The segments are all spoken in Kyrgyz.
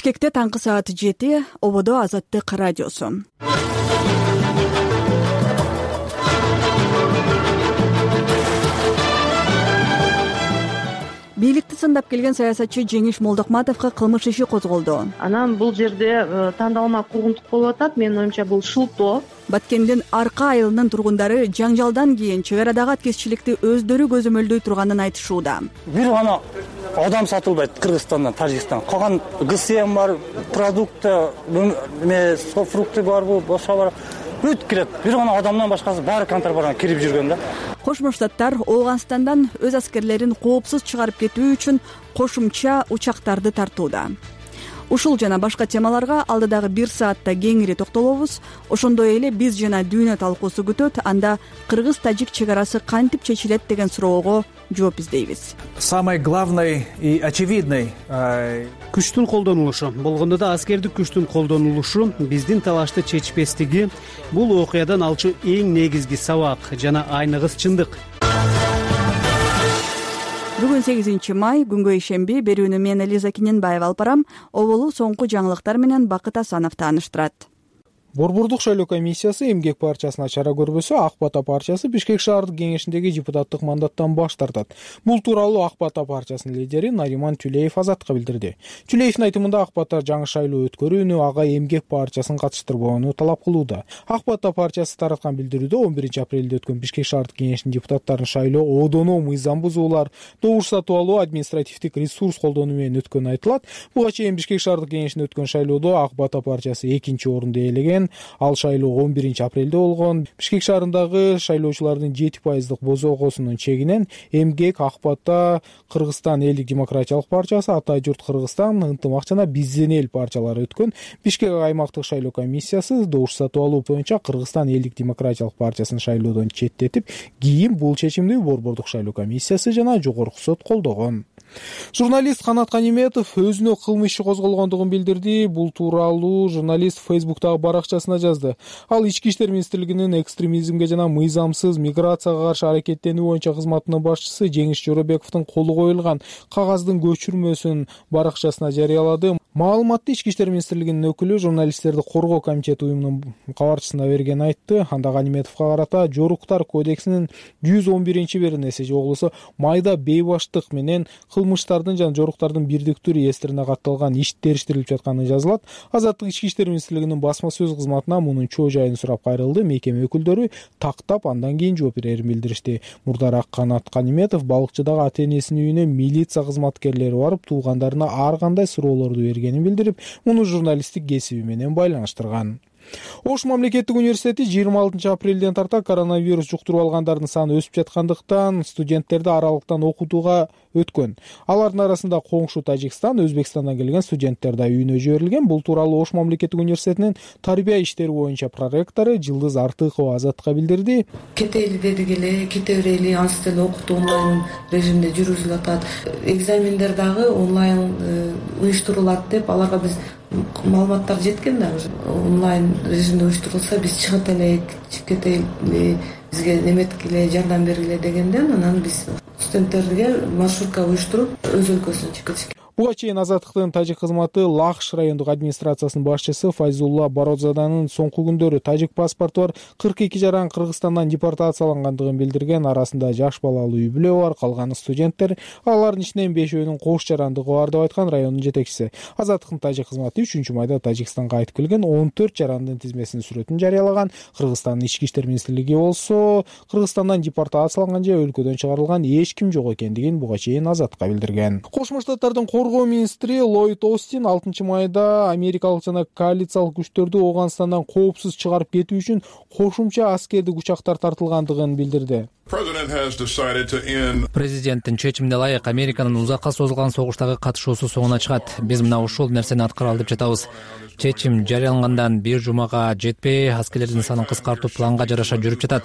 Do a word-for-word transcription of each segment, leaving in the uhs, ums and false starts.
Бишкекте таңкы саат жети, ободо Азаттык радиосу. Бийликти сындап келген саясатчы Жеңиш Молдокматовго кылмыш иши козголду. Анан бул жерде тандалма кургунтук болуп атат. Менин оюмча бул шылтоо. Баткендин Арка айылынын тургундары жаңжалдан кийин чек арадагы аткезчиликти өздөрү көзөмөлдөй турганын айтышууда. Бир гана адам сатылбайт Кыргызстандан, Тажикстандан. Калган ГСМ бар, продукты, фрукты барбы, башка бар. Бүт кирет. Бир гана адамдан башкасы баары контрабанда кирип жүргөн да. Кошмо Штаттар Ооганстандан өз аскерлерин коопсуз чыгарып кетүү үчүн кошумча учактарды тартууда. Ушул жана башка темаларга алдыдагы бир саатта кеңири токтолобуз. Ошондой эле биз жана дүйнө талкуусу күтөт. Анда кыргыз-тажик чек арасы кантип чечилет деген суроого жооп издейбиз. Самой главной и очевидной күчтүн колдонулушу, болгондо да аскердик күчтүн колдонулушу биздин талашты чечпестиги бул окуядан алчу эң негизги сабак жана айныгыс чындык. Бүгүн сегизинчи май, күнгө ишемби. Берүүнү мен Элиза Киненбаева алып барам. Оболу соңку жаңылыктар менен Бакыт Асанов тааныштырат. Борбордук шайлоо комиссиясы эмгек партиясына чара көрбөсө, Ак Бата партиясы Бишкек шаардык кеңешиндеги депутаттык мандаттан баш тартат. Бул тууралуу Ак Бата партиясынын лидери Нариман Тюлеев Азатка билдирди. Тюлеевдин айтымында Ак Бата жаңы шайлоо өткөрүүнү ага эмгек партиясын катыштырбоону талап кылууда. Ак Бата партиясы тараткан билдирүүдө он биринчи апрелде өткөн Бишкек шаардык кеңешинин депутаттарын шайлоо одоно мыйзам бузуулар, добуш сатып алуу, административдик ресурс колдонуу менен өткөнү айтылат. Буга чейин Бишкек шаардык кеңешинде өткөн шайлоодо Ак Бата партиясы экинчи орунду ээлеген. Ал шайлоо он биринчи апрелде болгон. Бишкек шаарындагы шайлоочулардын жети пайыздык бозокосунун чегинен эмгек, Ак Бата, Кыргызстан элдик демократиялык партиясы, Ата журт Кыргызстан, Ынтымак жана Бизден эл партиялары өткөн. Бишкек аймактык шайлоо комиссиясы добуш сатып алуу боюнча Кыргызстан элдик демократиялык партиясын шайлоодон четтетип, кийин бул чечимди борбордук шайлоо комиссиясы жана жогорку сот колдогон. Журналист Канат Каниметов өзүнө кылмыш иши козголгондугун билдирди. Бул тууралуу журналист Фейсбуктагы баракчасына жазды. Ал Ички иштер министрлигинин экстремизмге жана мыйзамсыз миграцияга каршы аракеттенүү боюнча кызматынын башчысы Жеңиш Жоробековдун колу коюлган кагаздын көчүрмөсүн баракчасына жарыялады. Маалыматты Ички иштер министрлигинин өкүлү журналисттерди коргоо комитети уюмунун кабарчысына берген айтты. Анда Каниметовго карата Жоруктар кодексинин жүз он биринчи беренеси жоголусу майда бейбаштык менен кылмыштардын жана жоруктардын бирдиктүү реестрине катталган иш териштирилип жатканы жазылат. Азаттык Ички иштер министрлигинин басма сөз кызматына мунун чоо жайын сурап кайрылды. Мекеме өкүлдөрү тактап андан кийин жооп берерин билдиришти. Мурдараак Канат Каниметов балыкчыдагы ата-энесинин үйүнө милиция кызматкерлери барып, туугандарына ар кандай суроолорду бергенин билдирип, муну журналисттик кесиби менен байланыштырган. Ош мамлекеттик университети жыйырма алтынчы апрелден тарта коронавирус жуктуруп алгандардын саны өсүп жаткандыктан студенттерди аралыктан окутууга өткөн. Алардын арасында коңшу Тажикстан, Өзбекстандан келген студенттер да үйүнө жиберилген. Бул тууралуу Ош мамлекеттик университетинин тарбия иштери боюнча проректору Жылдыз Артыкова Азатка билдирди. Кетели дедик эле, кете берели, анча деле окутуу онлайн режимде жүргүзүлүп атат. Экзамендер дагы онлайн уюштурулат деп аларга биз маалыматтар жеткен да. Онлайн режимде уюштурулса биз чыгып элек, кетели, бизге неметкиле, жардам бергиле дегенден анан биз студенттерге маршрутка уюштуруп өз өлкөсүнө чыгып кетишкен. Буга чейин Азаттыктын тажик кызматы Лахш райондук администрациясынын башчысы Файзулла Бородзаданын соңку күндөрү тажик паспорту бар кырк эки жаран Кыргызстандан депортациялангандыгын билдирген. Арасында жаш балалуу үй бүлө бар, калганы студенттер. Алардын ичинен бешөөнүн кош жарандыгы бар деп айткан райондун жетекчиси. Азаттыктын тажик кызматы үчүнчү майда Тажикстанга кайтып келген он төрт жарандын тизмесинин сүрөтүн жарыялаган. Кыргызстандын ички иштер министрлиги болсо Кыргызстандан депортацияланган же өлкөдөн чыгарылган эч ким жок экендигин буга чейин Азатка билдирген. Кошмо Штаттардын коргоо министри Ллойд Остин алтынчы майда америкалык жана коалициялык күчтөрдү Ооганстандан коопсуз чыгарып кетүү үчүн кошумча аскердик учактар тартылгандыгын билдирди. Президенттин чечимине ылайык Американын узакка созулган согуштагы катышуусу соңуна чыгат. Биз мына ушул нерсени аткара алып жатабыз. Чечим жарыялангандан бир жумага жетпей, аскерлердин санын кыскартуу планга жараша жүрүп жатат.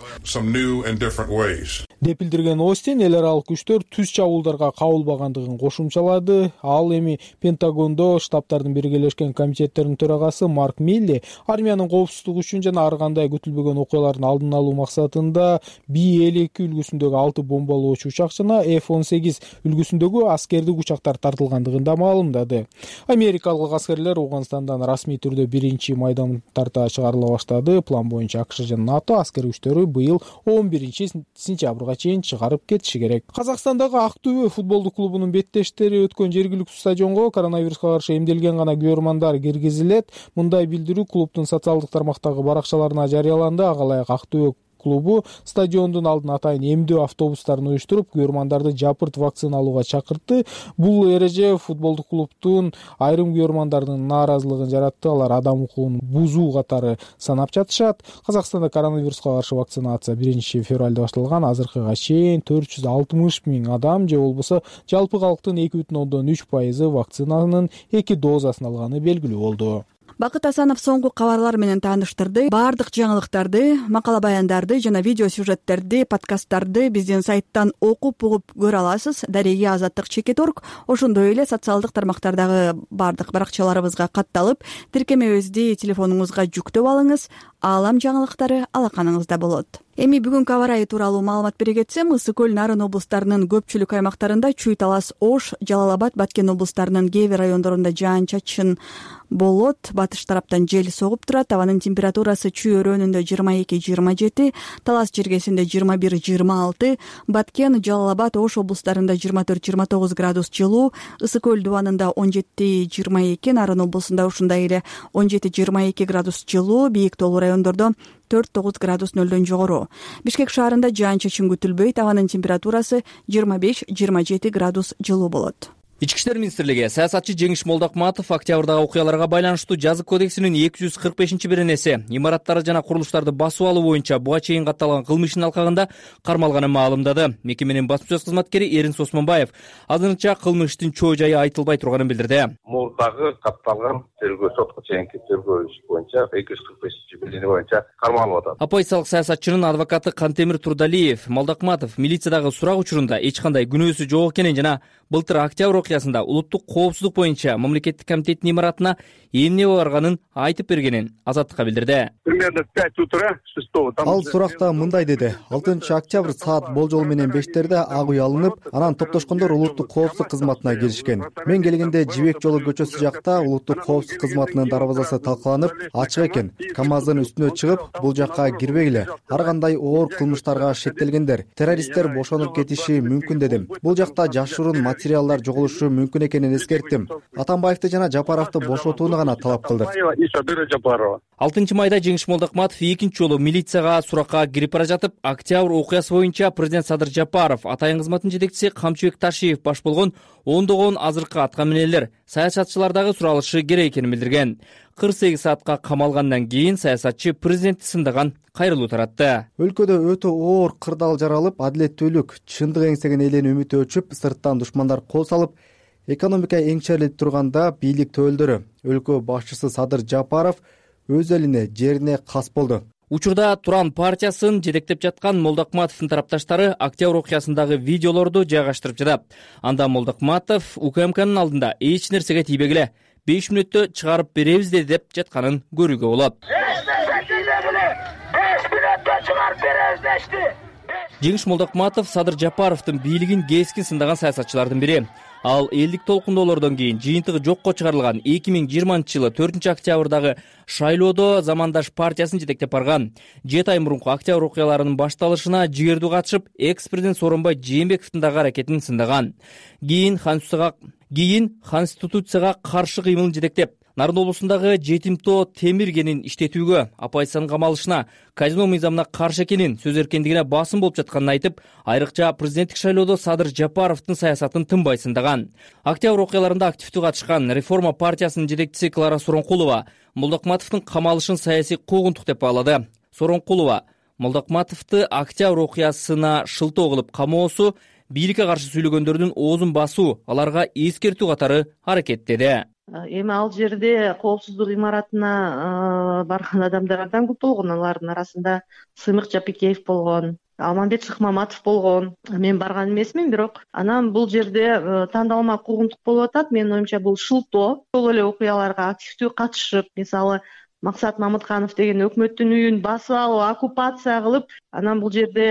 деп билдирген Остин эл аралык күчтөр түз чабуулдарга кабылбагандыгын кошумчалады. Ал эми Пентагондо штабтардын биргелешкен комитеттеринин төрагасы Марк Милли армиянын коопсуздугу үчүн жана ар кандай күтүлбөгөн окуялардын алдын алуу максатында Би элүү эки үлгүсүндөгү алты бомбалоочу учак жана эф он сегиз үлгүсүндөгү аскердик учактар тартылгандыгын да маалымдады. Америкалык аскерлер Ауганстандан расмий түрдө биринчи майдан тарта чыгарыла баштады. План боюнча АКШ жана НАТО аскер күчтөрү быйыл он биринчи сентябрга чейин чыгарып кетиши керек. Казакстандагы Ак Түбө футболдук клубунун беттештери өткөн жергиликтүү стадионго коронавируска каршы эмделген гана көрмандар киргизилет. Мындай билдирүү клубдун социалдык тармактагы баракчаларына жарыяланды. Ага ылайык Ак Түбө клубу стадиондун алдына атайын эмдөө автобустарын уюштуруп, көрмандарды жапырт вакцина алууга чакыртты. Бул эреже футболдук клубдун айрым көрмандардын нааразылыгын жаратты. Алар адам укугун бузуу катары санап жатышат. Казакстанда коронавируска каршы вакцинация биринчи февралда башталган. Азыркыга чейин төрт жүз алтымыш миң адам же болбосо жалпы калктын эки бүтүн ондон үч пайызы вакцинанын эки дозасын алганы белгилүү болду. Бакыт Асанов соңку кабарлар менен тааныштырды. Бардык жаңылыктарды, макала баяндарды жана видео сюжеттерди, подкасттарды биздин сайттан окуп угуп көрө аласыз. Дареги Азаттык чекит орг. Ошондой эле социалдык тармактардагы бардык баракчаларыбызга катталып, тиркемебизди телефонуңузга жүктөп алыңыз. Аалам жаңылыктары алаканыңызда болот. Эми бүгүнкү аба ырайы тууралуу маалымат бере кетсем, Ысык көл, Нарын облустарынын көпчүлүк аймактарында Чүй Талас, Ош, Жалал-Абад, Баткен облустарынын кээ бир райондорунда жаан-чачын болот. Батыш тараптан жел согуп турат. Абанын температурасы Чүй өрөөнүндө жыйырма эки жыйырма жети, Талас жергесинде жыйырма бир жыйырма алты, Баткен, Жалал-Абад, Ош облустарында жыйырма төрт жыйырма тогуз градус жылуу, Ысык көл дубанында он жети жыйырма эки, Нарын облусунда ушундай эле он жети жыйырма эки градус жылуу, бийик тоолуу райондордо төрт тогуз градус нөлдөн жогору. Бишкек шаарында жаан-чачын күтүлбөйт. Абанын температурасы жыйырма беш жыйырма жети градус жылуу болот. Ички иштер министрлиги саясатчы Жеңиш Молдокматов октябрдагы окуяларга байланыштуу жазык кодексинин эки жүз кырк бешинчи беренеси имараттарды жана курулуштарды басып алуу боюнча буга чейин катталган кылмыштын алкагында кармалганын маалымдады. Мекеменин басма сөз кызматкери Эринс Осмонбаев азырынча кылмыштын чоо жайы айтылбай турганын билдирди. Мурдагы катталган тергөө сотко чейинки тергөө иш боюнча эки жүз кырк бешинчи берене боюнча кармалып атат. Оппозициялык саясатчынын адвокаты Кантемир Турдалиев Молдокматов милициядагы сурак учурунда эч кандай күнөөсү жок экенин жана былтыр октябрь окуясында улуттук коопсуздук боюнча мамлекеттик комитеттин имаратына эмне барганын айтып бергенин Азаттыкка билдирди. Примерно в пять утра шестого Ал суракта мындай деди: алтынчы октябрь саат болжол менен бештерде ак үй алынып, анан топтошкондор улуттук коопсуздук кызматына келишкен. Мен келгенде Жибек жолу көчөсү жакта улуттук коопсуздук кызматынын дарбазасы талкаланып, ачык экен. КамАЗдын үстүнө чыгып, бул жакка кирбегиле. Ар кандай оор кылмыштарга шектелгендер, террористтер бошонуп кетиши мүмкүн дедим. Бул жакта жашыруун материалдар жоголушу мүмкүн экенин эскерттим. Атамбаевди жана Жапаровду бошотууну гана талап кылдык. алтынчы майда Жеңиш Молдокматов экинчи жолу милицияга суракка кирип бара жатып, октябрь окуясы боюнча президент Садыр Жапаров, атайын кызматтын жетекчиси Камчыбек Ташиев баш болгон ондогон азыркы атка минелер саясатчылардагы суралышы керек экенин билдирген. кырк сегиз саатка камалгандан кийин саясатчы президентти сындаган кайрылуу таратты. Өлкөдө өтө оор кырдаал жаралып, адилеттүүлүк, чындык эңсеген элдин үмүтү өчүп, сырттан душмандар кол салып, экономика эңчерилип турганда бийлик төөлдөрү, өлкө башчысы Садыр Жапаров өз элине, жерине кас болду. Учурда Туран партиясын жетектеп жаткан Молдокматовдун тарапташтары октябрь окуясындагы видеолорду жайгаштырып жатат. Анда Молдокматов УКМКнын алдында эч нерсеге тийбегиле, беш мүнөттө чыгарып беребиз деп жатканын көрүүгө болот. Жеңиш Молдокматов Садыр Жапаровдун бийлигин кескин сындаган саясатчылардын бири. Ал элдик толкундоолордон кийин жыйынтыгы жокко чыгарылган эки миң жыйырманчы жылы төртүнчү октябрдагы шайлоодо Замандаш партиясын жетектеп барган. жети ай мурунку октябрь окуяларынын башталышына жигердүү катышып, экс-президент Сооронбай Жээнбековдун дагы аракетин сындаган. Кийин кийин конституцияга каршы кыймылын жетектеп, Нарын облусундагы Жетим тоо темир кенин иштетүүгө, оппозициянын камалышына, казино мыйзамына каршы экенин, сөз эркиндигине басым болуп жатканын айтып, айрыкча президенттик шайлоодо Садыр Жапаровдун саясатын тынбай сындаган. Октябрь окуяларында активдүү катышкан Реформа партиясынын жетекчиси Клара Соронкулова Молдокматовдун камалышын саясий куугунтук деп баалады. Соронкулова Молдокматовду октябрь окуясына шылтоо кылып камоосу, бийликке каршы сүйлөгөндөрдүн оозун басуу, аларга эскертүү катары аракеттеди. Эми ал жерде коопсуздук имаратына барган адамдар абдан көп болгон. Алардын арасында Сымык Жапикеев болгон, Алмамбет Шыкмаматов болгон. Мен барган эмесмин, бирок анан бул жерде тандалма куугунтук болуп атат. Менин оюмча бул шылтоо. Ошол эле окуяларга активдүү катышып, мисалы Максат Мамытканов деген өкмөттүн үйүн басып алып, оккупация кылып, анан бул жерде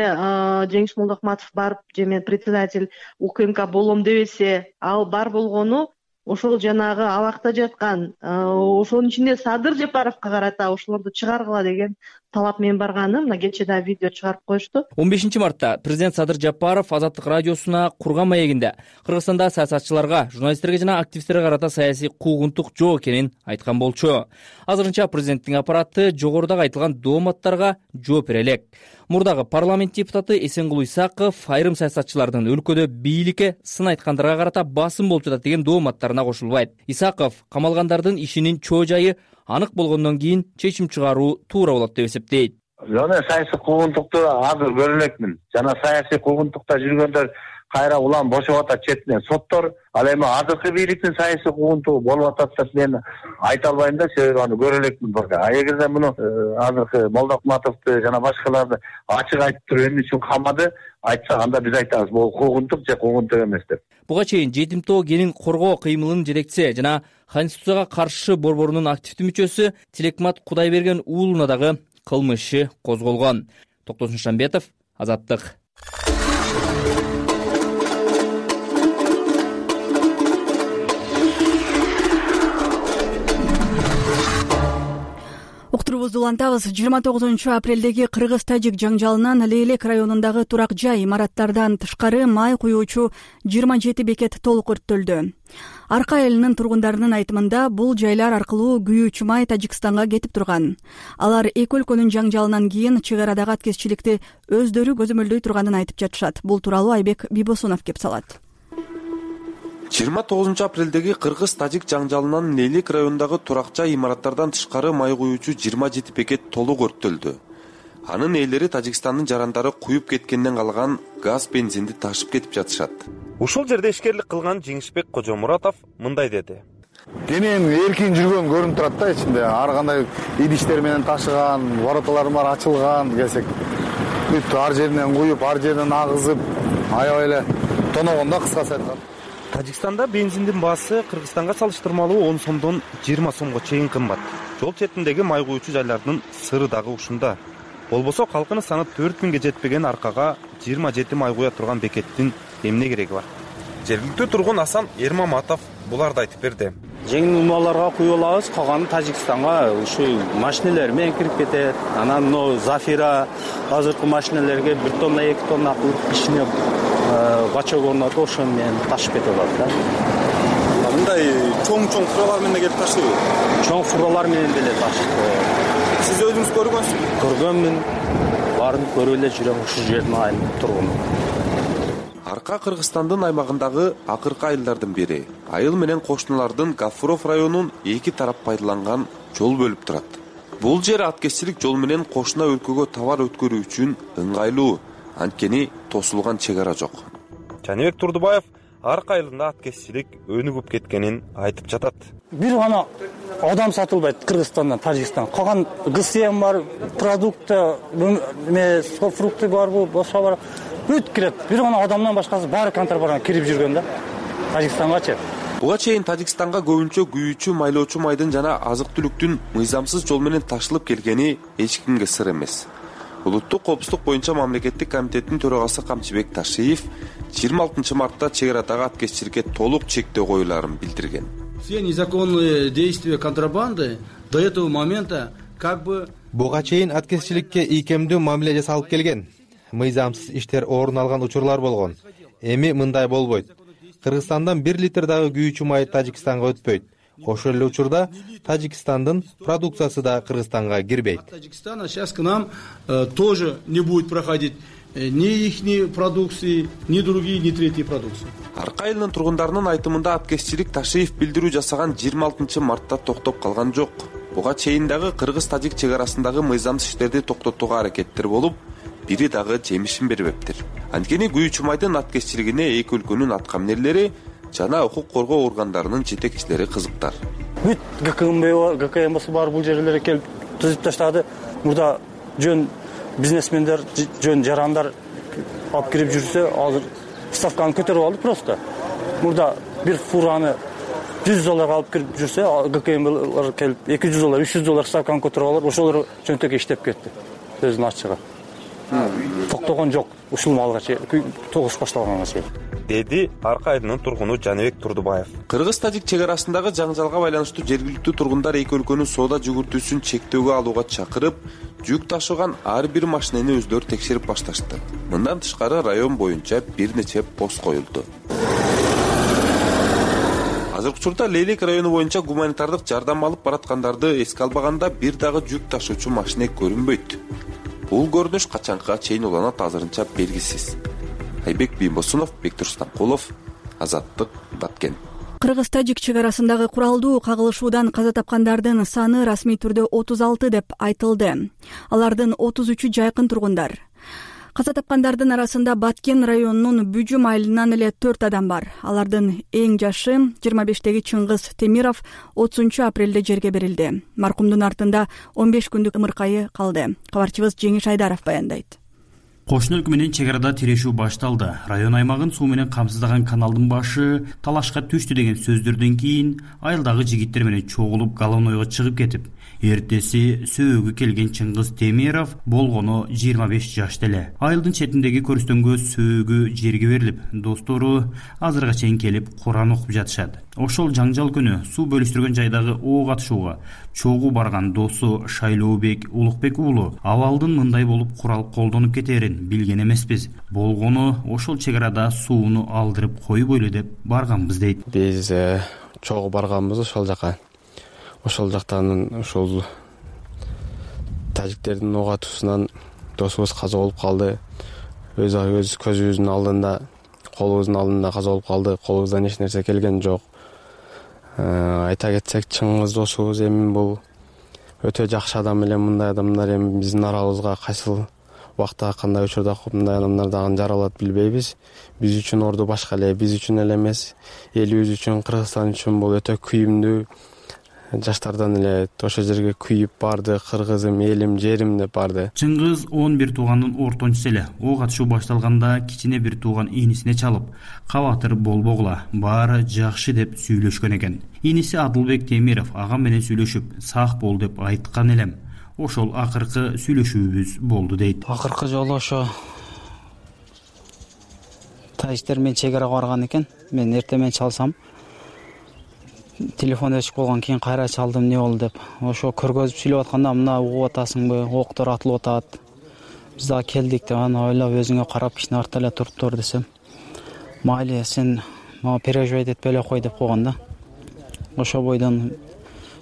Жеңиш Молдокматов барып, же мен председатель УКМК болом дебесе, ал бар болгону ошол жанагы абакта жаткан, ошонун ичинде Садыр Жапаровго карата ошолорду чыгаргыла деген талап менен барганым. Мына кечээ да видео чыгарып коюшту. он бешинчи мартта президент Садыр Жапаров Азаттык радиосуна курган маегинде Кыргызстанда саясатчыларга, журналисттерге жана активисттерге карата саясий куугунтук жок экенин айткан болчу. Азырынча президенттин аппараты жогорудагы айтылган дооматтарга жооп бере элек. Мурдагы парламент депутаты Эсенгул Исаков айрым саясатчылардын өлкөдө бийликке сын айткандарга карата басым болуп жатат деген дооматтарына кошулбайт. Исаков камалгандардын ишинин чоо жайы анык болгондон кийин чечим чыгаруу туура болот деп эсептейт. Жана саясий куугунтукту азыр көрө элекмин. Жана саясий куугунтукта жүргөндөр кайра улам бошоп атат четинен соттор. Ал эми азыркы бийликтин саясий куугунтугу болуп атат деп мен айта албайм да, себеби аны көрө элекмин. А эгерде муну азыркы Молдокматовду жана башкаларды ачык айтып туруп эмне үчүн камады айтса, анда биз айтабыз бул куугунтук же куугунтук эмес деп. Буга чейин жетим тоо кенин коргоо кыймылынын жетекчиси жана Конституцияга каршы борборунун активдүү мүчөсү Тилекмат Кудайберген уулуна дагы кылмыш иши козголгон. Токтосун Шамбетов, Азаттык. Уктурубузду улантабыз. жыйырма тогузунчу апрелдеги кыргыз-тажик жаңжалынан Лейлек районундагы турак жай имараттардан тышкары май куюучу жыйырма жети бекет толук өрттөлдү. Арка элинин тургундарынын айтымында бул жайлар аркылуу күйүүчү май Тажикстанга кетип турган. Алар эки өлкөнүн жаңжалынан кийин чек арадагы аткезчиликти өздөрү көзөмөлдөй турганын айтып жатышат. Бул тууралуу Айбек Бибосунов кеп салат. жыйырма тогузунчу апрелдеги кыргыз-тажик жаңжалынан Лейлек районундагы турак жай имараттардан тышкары май куюучу жыйырма жети бекет толук өрттөлдү. Анын ээлери Тажикстандын жарандары куюп кеткенден калган газ, бензинди ташып кетип жатышат. Ушул жерде ишкерлик кылган Жеңишбек Кожомуратов мындай деди. Денем эркин жүргөн көрүнүп турат да, ичинде ар кандай идиштер менен ташыган, вороталар бар ачылган десек. Бүт ар жеринен куюп, ар жеринен агызып, аябай эле тоногондо кыскасы айтканда. Тажикстанда бензиндин баасы Кыргызстанга салыштырмалуу он сомдон жыйырма сомго чейин кымбат. Жол четиндеги май куюучу жайлардын сыры дагы ушунда. Болбосо калкынын саны төрт миңге жетпеген аркага жыйырма жети май куя турган бекеттин эмне кереги бар? Жергиликтүү тургун Асан Эрмаматов буларды айтып берди. Жеңил унааларга куюп алабыз, калганы Тажикстанга ушу машинелер менен кирип кетет. Анан но Зафира азыркы машинелерге бир тонна, эки тонна кылып ишине бачок орнотуп ошон менен ташып кетип алат да. Мындай чоң-чоң фуралар менен келип ташыйбы? Чоң фуралар менен деле ташып. Сиз өзүңүз көргөнсүзбү? Көргөнмүн. Барын көрүп эле жүрөм, ушул жердин айылынын тургуну. Арка Кыргызстандын аймагындагы акыркы айылдардын бири. Айыл менен кошуналардын Гафуров районун эки тарап пайдаланган жол бөлүп турат. Бул жер аткезчилик жол менен кошуна өлкөгө товар өткөрүү үчүн ыңгайлуу, анткени тосулган чек ара жок. Жаныбек Турдубаев Арка айылында аткезчилик өнүгүп кеткенин айтып жатат. Бир гана адам сатылбайт Кыргызстандан Тажикстанга. Калган ГСМ бар, продукты, фрукты барбы, башка бар. Бүт кирет. Бир гана адамдан башкасы баары контрабанда кирип жүргөн да. Тажикстангачы. Буга чейин Тажикстанга көбүнчө күйүүчү, майлоочу майдын жана азык-түлүктүн мыйзамсыз жол менен ташылып келгени эч кимге сыр эмес. Улуттук коопсуздук боюнча мамлекеттик комитеттин төрагасы Камчыбек Ташиев жыйырма алтынчы мартта чек арадагы аткезчиликке толук чектөө коюларын билдирген. Все незаконные действия контрабанды до этого момента как бы буга чейин аткезчиликке ийкемдүү мамиле жасалып келген. Мыйзамсыз иштер орун алган учурлар болгон. Эми мындай болбойт. Кыргызстандан бир литр дагы күйүүчү май Тажикстанга өтпөйт. Ошол эле учурда Тажикстандын продукциясы да Кыргызстанга кирбейт. Таджикистана сейчас к нам э, тоже не будет проходить э, ни ихней продукции, ни другие, ни третьи продукции. Арка айылынын тургундарынын айтымында аткезчилик Ташиев билдирүү жасаган жыйырма алтынчы мартта токтоп калган жок. Буга чейин дагы кыргыз-тажик чек арасындагы мыйзамсыз иштерди токтотууга аракеттер болуп, бири дагы жемишин бербептир. Анткени күйүүчү майдын аткезчилигине эки өлкөнүн аткаминерлери жана укук коргоо органдарынын жетекчилери кызыктар. Бүт ГКМБ, ГКМБсы бар бул жерлерге келип түзүп таштады. Мурда жөн бизнесмендер жөн жарандар алып кирип жүрсө, азыр ставканы көтөрүп алды просто. Мурда бир фураны жүз долларга алып кирип жүрсө, ГКМлар келип эки жүз доллар, үч жүз доллар ставканы көтөрүп алып, ошолор чөнтөккө иштеп кетти. Сөздүн ачыгы. Токтогон жок, ушул малга чейин, тогуш башталганга чейин, деди Арка айылынын тургуну Жаныбек Турдубаев. Кыргыз-тажик чек арасындагы жаңжалга байланыштуу жергиликтүү тургундар эки өлкөнүн соода жүгүртүүсүн чектөөгө алууга чакырып, жүк ташыган ар бир машинени өздөрү текшерип башташты. Мындан тышкары район боюнча бир нече пост коюлду. Азыркы учурда Лейлек району боюнча гуманитардык жардам алып бараткандарды эске албаганда бир дагы жүк ташуучу машина көрүнбөйт. Бул көрүнүш качанга чейин уланат азырынча белгисиз. Айбек Бийбосунов, Бектур Станкулов, Азаттык, Баткен. Кыргыз-тажик чек арасындагы куралдуу кагылышуудан каза тапкандардын саны расмий түрдө отуз алты деп айтылды. Алардын отуз үчү жайкын тургундар. Каза тапкандардын арасында Баткен районунун Бүжүм айылынан эле төрт адам бар. Алардын эң жашы жыйырма бештеги Чыңгыз Темиров отузунчу апрелде жерге берилди. Маркумдун артында он беш күндүк ымыркайы калды. Кабарчыбыз Жеңиш Айдаров баяндайт. Кошуна өлкө менен чек арада тирешүү башталды. Район аймагын суу менен камсыздаган каналдын башы талашка түштү деген сөздөрдөн кийин айылдагы жигиттер менен чогулуп головнойго чыгып кетип, эртеси сөөгү келген Чыңгыз Темиров болгону жыйырма беш жашта эле. Айылдын четиндеги көрүстөнгө сөөгү жерге берилип, достору азырга чейин келип Куран окуп жатышат. Ошол жаңжал күнү суу бөлүштүргөн жайдагы оо катышууга чогуу барган досу Шайлообек Улукбек уулу абалдын мындай болуп курал колдонуп кетерин билген эмеспиз. Болгону ошол чек арада сууну алдырып койбойлу деп барганбыз дейт. Биз чогуу барганбыз ошол жака. Ошол жактан ошол тажиктердин оо атуусунан досубуз каза болуп калды. Өз өз көзүбүздүн алдында, колубуздун алдында каза болуп калды. Колубуздан эч нерсе келген жок. Айта кетсек, Чыңгыз досубуз эми бул өтө жакшы адам эле. Мындай адамдар эми биздин арабызга кайсыл убакта кандай учурда мындай адамдар дагы жаралат билбейбиз. Биз үчүн орду башка эле, биз үчүн эле эмес, элибиз үчүн, Кыргызстан үчүн бул өтө күйүмдүү. Жаштардан эле ошол жерге күйүп барды, кыргызым, элим, жерим деп барды. Чыңгыз он бир туугандын ортончусу эле. Оо катышуу башталганда кичине бир тууган инисине чалып, кабатыр болбогула, баары жакшы деп сүйлөшкөн экен. Иниси Адылбек Темиров агам менен сүйлөшүп, сак бол деп айткан элем. Ошол акыркы сүйлөшүүбүз болду дейт. Акыркы жолу ошо тажиктер менен чек арага барган экен. Мен эртең менен чалсам, телефон өчүп калган, кийин кайра чалдым, эмне болду деп. Ошо көргөзүп сүйлөп атканда, мына угуп атасыңбы, октор атылып атат. Биз дагы келдик деп, аны ойлоп өзүңө карап кичине артта эле туруп тур десем, майли, сен мага переживать этпей эле кой деп койгон да. Ошо бойдон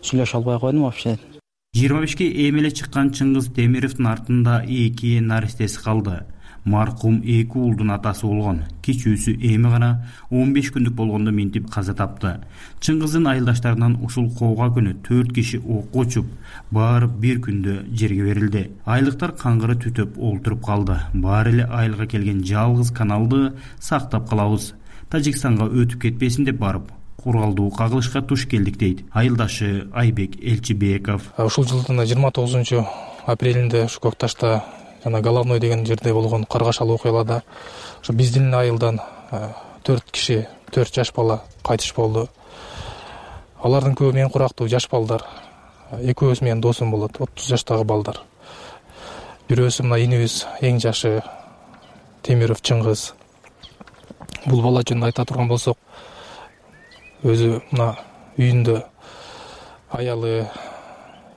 сүйлөшө албай койдум вообще. жыйырма бешке эмеле чыккан Чыңгыз Темировдун артында эки наристеси калды. Маркум эки уулдун атасы болгон. Кичүүсү эми гана он беш күндүк болгондо минтип каза тапты. Чыңгыздын айылдаштарынан ушул коого күнү төрт киши окко учуп, баары бир күндө жерге берилди. Айылдыктар каңгыры түтөп олтуруп калды. Баары эле айылга келген жалгыз каналды сактап калабыз, Тажикстанга өтүп кетпесин деп барып, куралдуу кагылышка туш келдик дейт айылдашы Айбек Элчибеков. Ушул жылдын жыйырма тогузунчу апрелинде ушу Көкташта жана Головной деген жерде болгон каргашалуу окуяларда ошо биздин айылдан төрт киши, төрт жаш бала кайтыш болду. Алардын көбү мен курактуу жаш балдар. Экөөбүз менин досум болот, отуз жаштагы балдар. Бирөөсү мына инибиз эң жашы Темиров Чыңгыз. Бул бала жөнүндө айта турган болсок, өзү мына үйүндө аялы,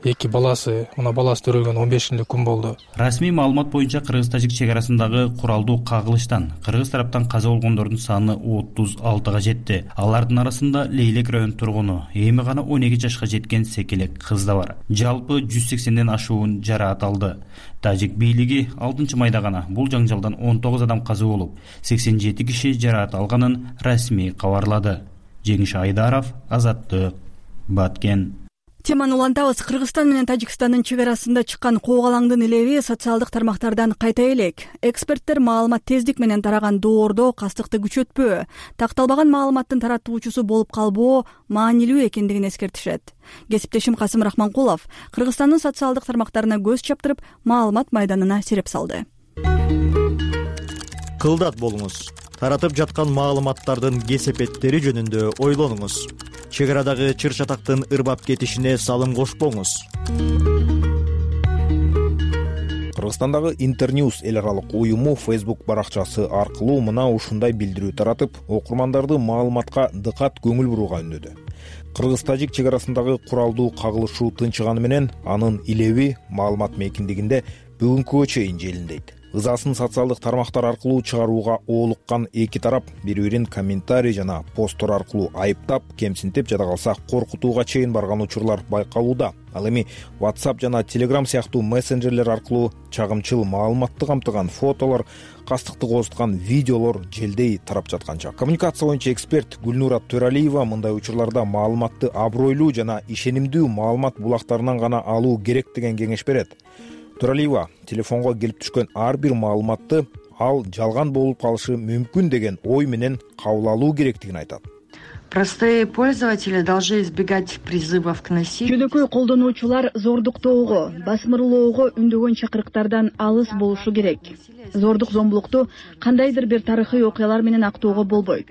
эки баласы, мына баласы төрөлгөн он бешинчи күн болду. Расмий маалымат боюнча Кыргыз-тажик чек арасындагы куралдуу кагылыштан кыргыз тараптан каза болгондордун саны отуз алтыга жетти. Алардын арасында Лейлек район тургуну, эми гана он эки жашка жеткен секелек кыз да бар. Жалпы жүз сексенден ашуун жараат алды. Тажик бийлиги алтынчы майда гана бул жаңжалдан он тогуз адам каза болуп, сексен жети киши жараат алганын расмий кабарлады. Жеңиш Айдаров, Азаттык, Баткен. Теманы улантабыз. Кыргызстан менен Тажикстандын чек арасында чыккан коогалаңдын илеби социалдык тармактардан кайта элек. Эксперттер маалымат тездик менен тараган доордо кастыкты күчөтпөө, такталбаган маалыматтын таратуучусу болуп калбоо маанилүү экендигин эскертишет. Кесиптешим Касым Рахманкулов Кыргызстандын социалдык тармактарына көз чаптырып, маалымат майданына сереп салды. Кылдат болуңуз. Таратып жаткан маалыматтардын кесепеттери жөнүндө ойлонуңуз. Чек арадагы чыр чатактын ырбап кетишине салым кошпоңуз. Кыргызстандагы Интерньюз эл аралык уюму Facebook баракчасы аркылуу мына ушундай билдирүү таратып, окурмандарды маалыматка дыкат көңүл бурууга үндөдү. Кыргыз-тажик чек арасындагы куралдуу кагылышуу тынчыганы менен анын илеби маалымат мейкиндигинде бүгүнкүгө чейин желиндейт. Ызасын социалдык тармактар аркылуу чыгарууга оолуккан эки тарап бири-бирин комментарий жана посттор аркылуу айыптап, кемсинтип жада калса коркутууга чейин барган учурлар байкалууда. Ал эми WhatsApp жана Telegram сыяктуу мессенджерлер аркылуу чагымчыл маалыматты камтыган фотолор, кастыкты кооздуткан видеолор желдей тарап жатканча. Коммуникация боюнча эксперт Гүлнура Төралиева мындай учурларда маалыматты абройлуу жана ишенимдүү маалымат булактарынан гана алуу керек деген кеңеш берет. Төралиева телефонго келип түшкөн ар бир маалыматты ал жалган болуп калышы мүмкүн деген ой менен кабыл алуу керектигин айтат. Простые пользователи должны избегать призывов к насилию. Жөнөкөй колдонуучулар зордуктоого, басмырлоого үндөгөн чакырыктардан алыс болушу керек. Зордук зомбулукту кандайдыр бир тарыхый окуялар менен актоого болбойт.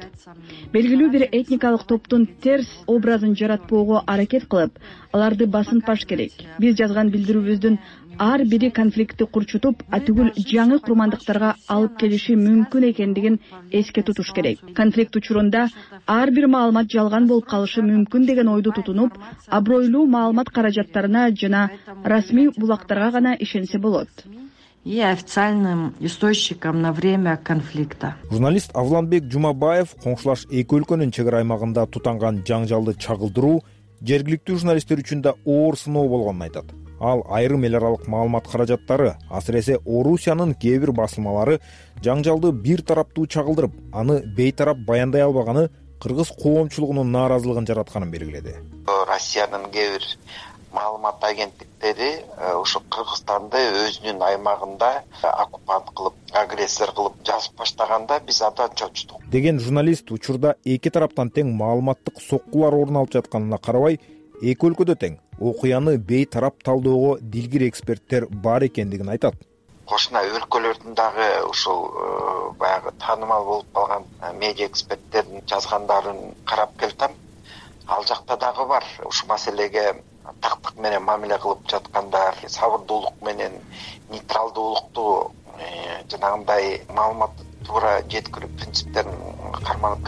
Белгилүү бир этникалык топтун терс образын жаратпоого аракет кылып, аларды басынтпаш керек. Биз жазган билдирүүбүздүн ар бири конфликтти курчутуп, атүгүл жаңы курмандыктарга алып келиши мүмкүн экендигин эске тутуш керек. Конфликт учурунда ар бир маалымат жалган болуп калышы мүмкүн деген ойду тутунуп, абройлуу маалымат каражаттарына жана расмий булактарга гана ишенсе болот. И официальным источникам на время конфликта. Журналист Авланбек Жумабаев коңшулаш эки өлкөнүн чек ара аймагында тутанган жаңжалды чагылдыруу жергиликтүү журналисттер үчүн да оор сыноо болгонун айтат. Ал айрым эл аралык маалымат каражаттары, асыресе Орусиянын кээ бир басылмалары жаңжалды бир тараптуу чагылдырып, аны бейтарап баяндай албаганы кыргыз коомчулугунун нааразылыгын жаратканын белгиледи. Россиянын кээ бир маалымат агенттиктери ушу Кыргызстанды өзүнүн аймагында оккупант кылып, агрессор кылып жазып баштаганда биз абдан чочтук деген журналист учурда эки тараптан тең маалыматтык соккулар орун алып жатканына карабай, эки өлкөдө тең окуяны бейтарап талдоого дилгир эксперттер бар экендигин айтат. Кошуна өлкөлөрдүн дагы ушул баягы таанымал болуп калган медиа эксперттердин жазгандарын карап келсем, ал жакта дагы бар ушул маселеге тактык менен мамиле кылып жаткандар, сабырдуулук менен нейтралдуулукту жанагындай маалыматты туура жеткирүү принциптерин карманып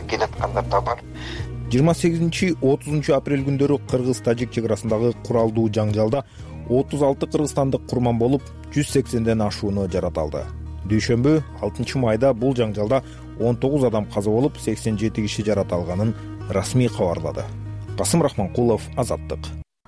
келаткандар да бар. жыйырма сегизинчи отузунчу апрель күндөрү Кыргыз-Тажик чек арасындагы куралдуу жаңжалда отуз алты кыргызстандык курман болуп, жүз сексенден ашууну жараталды. Дүйшөмбү алтынчы майда бул жаңжалда он тогуз адам каза болуп, сексен жети киши жараталганын расмий кабарлады. Касым Рахманкулов, Азаттык.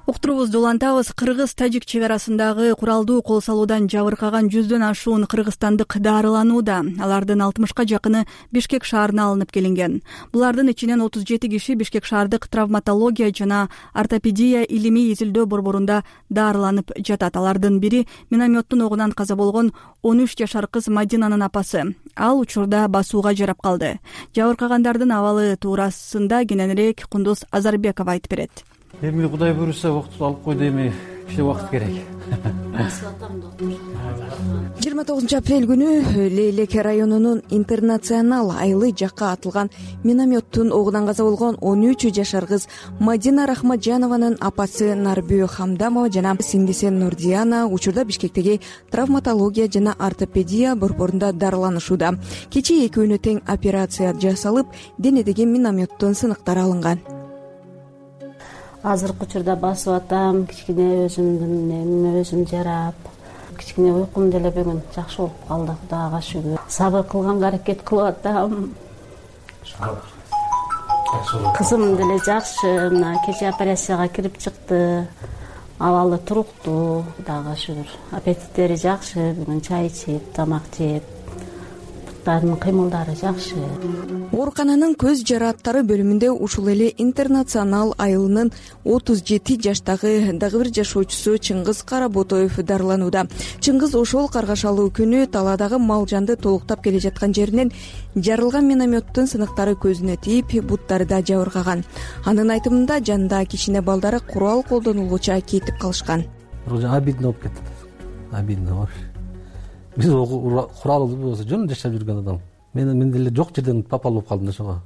Уктурубузду улантабыз. Кыргыз-Тажик чек арасындагы куралдуу кол салуудан жабыркаган жүздөн ашуун кыргызстандык дарыланууда. Алардын алтымышка жакыны Бишкек шаарына алынып келинген. Булардын ичинен отуз жети киши Бишкек шаардык травматология жана ортопедия илимий изилдөө борборунда дарыланып жатат. Алардын бири минометтун огунан каза болгон он үч жашар кыз Мадинанын апасы. Ал учурда басууга жарап калды. Жабыркагандардын абалы туурасында кененирээк Кундуз Азарбекова айтып берет. Эми Кудай буйруса убакыт алып койду, эми кичине убакыт керек. жыйырма тогузунчу апрель күнү Лейлек районунун Интернационал айылы жакка атылган минометтун огунан каза болгон он үч жашар кыз Мадина Рахматжанованын апасы Нарбү Хамдамова жана сиңдиси Нурдияна учурда Бишкектеги травматология жана ортопедия борборунда дарыланышууда. Кечээ экөөнү тең операция жасалып, денедеги минометтун сыныктары алынган. Азыркы учурда басып атам, кичине өзүмдүн эмиме өзүм жарап, кичине уйкум деле бүгүн жакшы болуп калды, Кудайга шүгүр. Сабыр кылганга аракет кылып атам. Кызым деле жакшы, мына кечээ операцияга кирип чыкты. Абалы туруктуу, Кудайга шүгүр. Аппетиттери жакшы, бүгүн чай ичип, тамак жеп. балыктардын кыймылдары жакшы. оорукананын көз жарааттары бөлүмүндө ушул эле интернационал айылынын отуз жети жаштагы дагы бир жашоочусу Чыңгыз Каработоев дарыланууда. Чыңгыз ошол каргашалуу күнү таладагы мал жанды толуктап келе жаткан жеринен жарылган минометтин сыныктары көзүнө тийип, буттары да жабыркаган. Анын айтымында жанында кичине балдары курал колдонулгуча кетип калышкан. Обидно болуп кетти. Обидно вообще. Биз куралы болсо жөн жашап жүргөн адам. Мен мен деле жок жерден попал болуп калдым да ошого.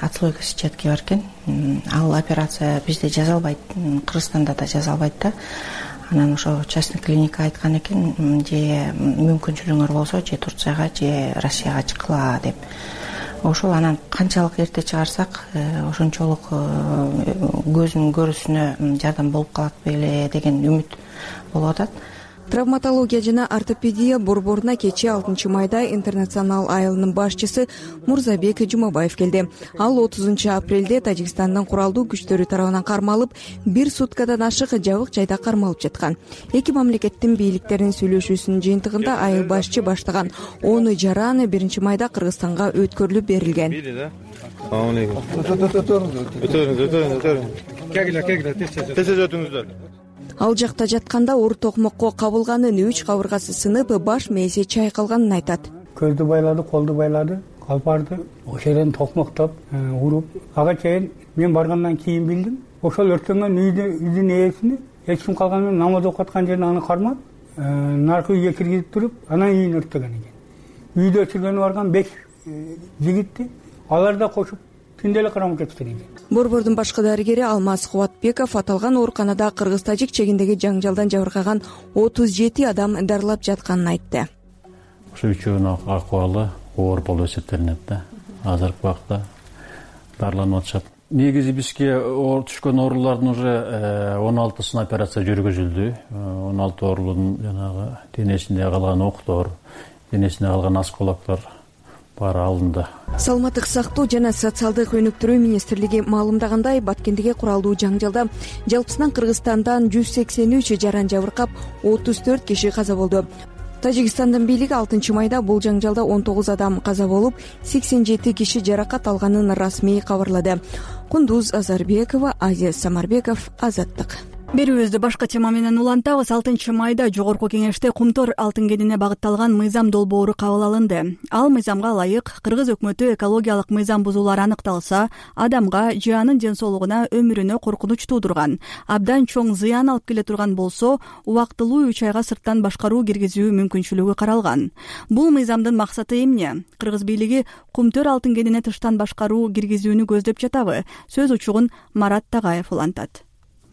Отслойка сетчатки бар экен. Ал операция бизде жазалбайт, Кыргызстанда да жазалбайт да. Анан ошо частный клиника айткан экен, же мүмкүнчүлүгүңөр болсо же Турцияга же Россияга чыккыла деп. Ошол анан канчалык эрте чыгарсак, ошончолук көзүнүн көрүүсүнө жардам болуп калат беле деген үмүт болуп атат. Травматология жана ортопедия борборуна кечээ алтынчы майда интернационал айылынын башчысы Мурзабек Жумабаев келди. Ал отузунчу апрелде Тажикстандын куралдуу күчтөрү тарабынан кармалып, бир суткадан ашык жабык жайда кармалып жаткан. Эки мамлекеттин бийликтеринин сүйлөшүүсүнүн жыйынтыгында айыл башчы баштаган он жараны биринчи майда Кыргызстанга өткөрүлүп берилген. Ал жакта жатканда оор токмокко кабылганын, үч кабыргасы сынып, баш мээси чайкалганын айтат. Көздү байлады, колду байлады, калпарды ошол жерден токмоктоп, уруп, ага чейин мен баргандан кийин билдим. Ошол өрттөнгөн үйдүн ээсини эч ким калган менен намаз окуп аткан жерине аны кармап, наркы үйгө киргизип туруп, анан үйүн өрттөгөн экен. Үйдө өчүргөнү барган беш жигитти алар да кошуп түндө эле кармап кетишкен экен. Борбордун башкы дарыгери Алмаз Кубатбеков аталган ооруканада кыргыз-тажик чегиндеги жаңжалдан жабыркаган отуз жети адам дарылап жатканын айтты. Ошо үчөөнүн акыбалы оор болуп эсептелинет да. Азыркы убакта дарыланып атышат. Негизи бизге түшкөн оорулардын уже он алтысын операция жүргүзүлдү. он алты оорунун жанагы денесинде калган октор, денесинде калган осколоктор баары алынды. Саламаттык сактоо жана социалдык өнүктүрүү министрлиги маалымдагандай, Баткендеги куралдуу жаңжалда жалпысынан Кыргызстандан жүз сексен үч жаран жабыркап, отуз төрт киши каза болду. Тажикстандын бийлиги алтынчы майда бул жаңжалда он тогуз адам каза болуп, сексен жети киши жаракат алганын расмий кабарлады. Кундуз Азарбекова, Азия Самарбеков, Азаттык. Берүүбүздү башка тема менен улантабыз. алтынчы майда Жогорку Кеңеште Кумтөр алтын кенине багытталган мыйзам долбоору кабыл алынды. Ал мыйзамга ылайык Кыргыз өкмөтү экологиялык мыйзам бузуулар аныкталса, адамга же анын ден соолугуна, өмүрүнө коркунуч туудурган, абдан чоң зыян алып келе турган болсо, убактылуу үч айга сырттан башкаруу киргизүү мүмкүнчүлүгү каралган. Бул мыйзамдын максаты эмне? Кыргыз бийлиги Кумтөр алтын кенине тыштан башкаруу киргизүүнү көздөп жатабы? Сөз учугун Марат Тагаев улантат.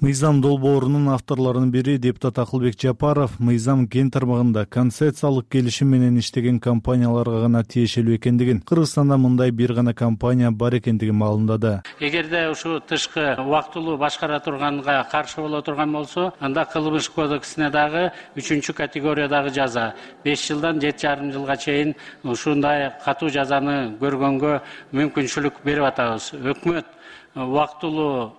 Мыйзам долбоорунун авторлорунун бири депутат Акылбек Жапаров мыйзам кен тармагында концессиялык келишим менен иштеген компанияларга гана тиешелүү экендигин, Кыргызстанда мындай бир гана компания бар экендигин маалымдады. Эгерде ушу тышкы убактылуу башкара турганга каршы боло турган болсо, анда кылмыш кодексине дагы үчүнчү категориядагы жаза беш жылдан жети жарым жылга чейин ушундай катуу жазаны көргөнгө мүмкүнчүлүк берип атабыз. Өкмөт убактылуу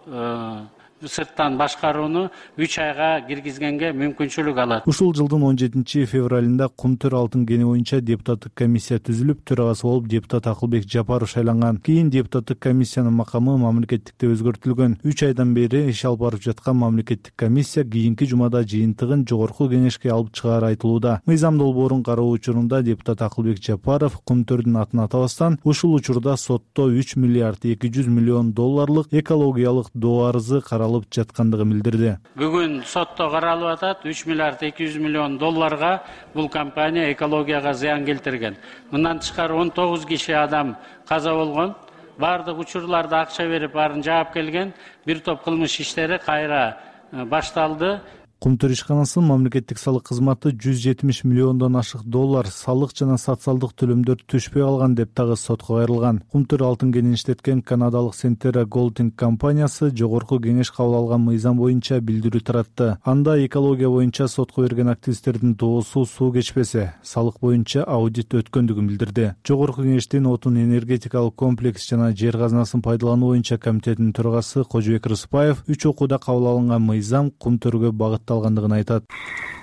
сырттан башкарууну үч айга киргизгенге мүмкүнчүлүк алат. Ушул жылдын он жетинчи февралында Кумтөр алтын кени боюнча депутаттык комиссия түзүлүп, төрагасы болуп депутат Акылбек Жапаров шайланган. Кийин депутаттык комиссиянын макамы мамлекеттикте өзгөртүлгөн. үч айдан бери иш алып барып жаткан мамлекеттик комиссия кийинки жумада жыйынтыгын Жогорку Кеңешке алып чыгаары айтылууда. Мыйзам долбоорун кароо учурунда депутат Акылбек Жапаров Кумтөрдүн атын атабастан, ушул учурда сотто үч миллиард эки жүз миллион долларлык экологиялык доо арызы каралып жаткандыгын билдирди. Бүгүн сотто каралып атат, үч миллиард эки жүз миллион долларга бул компания экологияга зыян келтирген. Мындан тышкары он тогуз киши адам каза болгон. Бардык учурларда акча берип баарын жаап келген. Бир топ кылмыш иштери кайра башталды. Кумтөр ишканасынын мамлекеттик салык кызматы жүз жетимиш миллиондон ашык доллар салык жана социалдык төлөмдөр түшпөй калган деп дагы сотко кайрылган. Кумтөр алтын кенин иштеткен канадалык Сентера Голдинг компаниясы Жогорку Кеңеш кабыл алган мыйзам боюнча билдирүү таратты. Анда экология боюнча сотко берген активисттердин доосу суу кечпесе, салык боюнча аудит өткөндүгүн билдирди. Жогорку Кеңештин отун энергетикалык комплекс жана жер казынасын пайдалануу боюнча комитетинин төрагасы Кожобек Рыспаев үч окууда кабыл алынган мыйзам Кумтөргө багытталган алганлыгын айтат.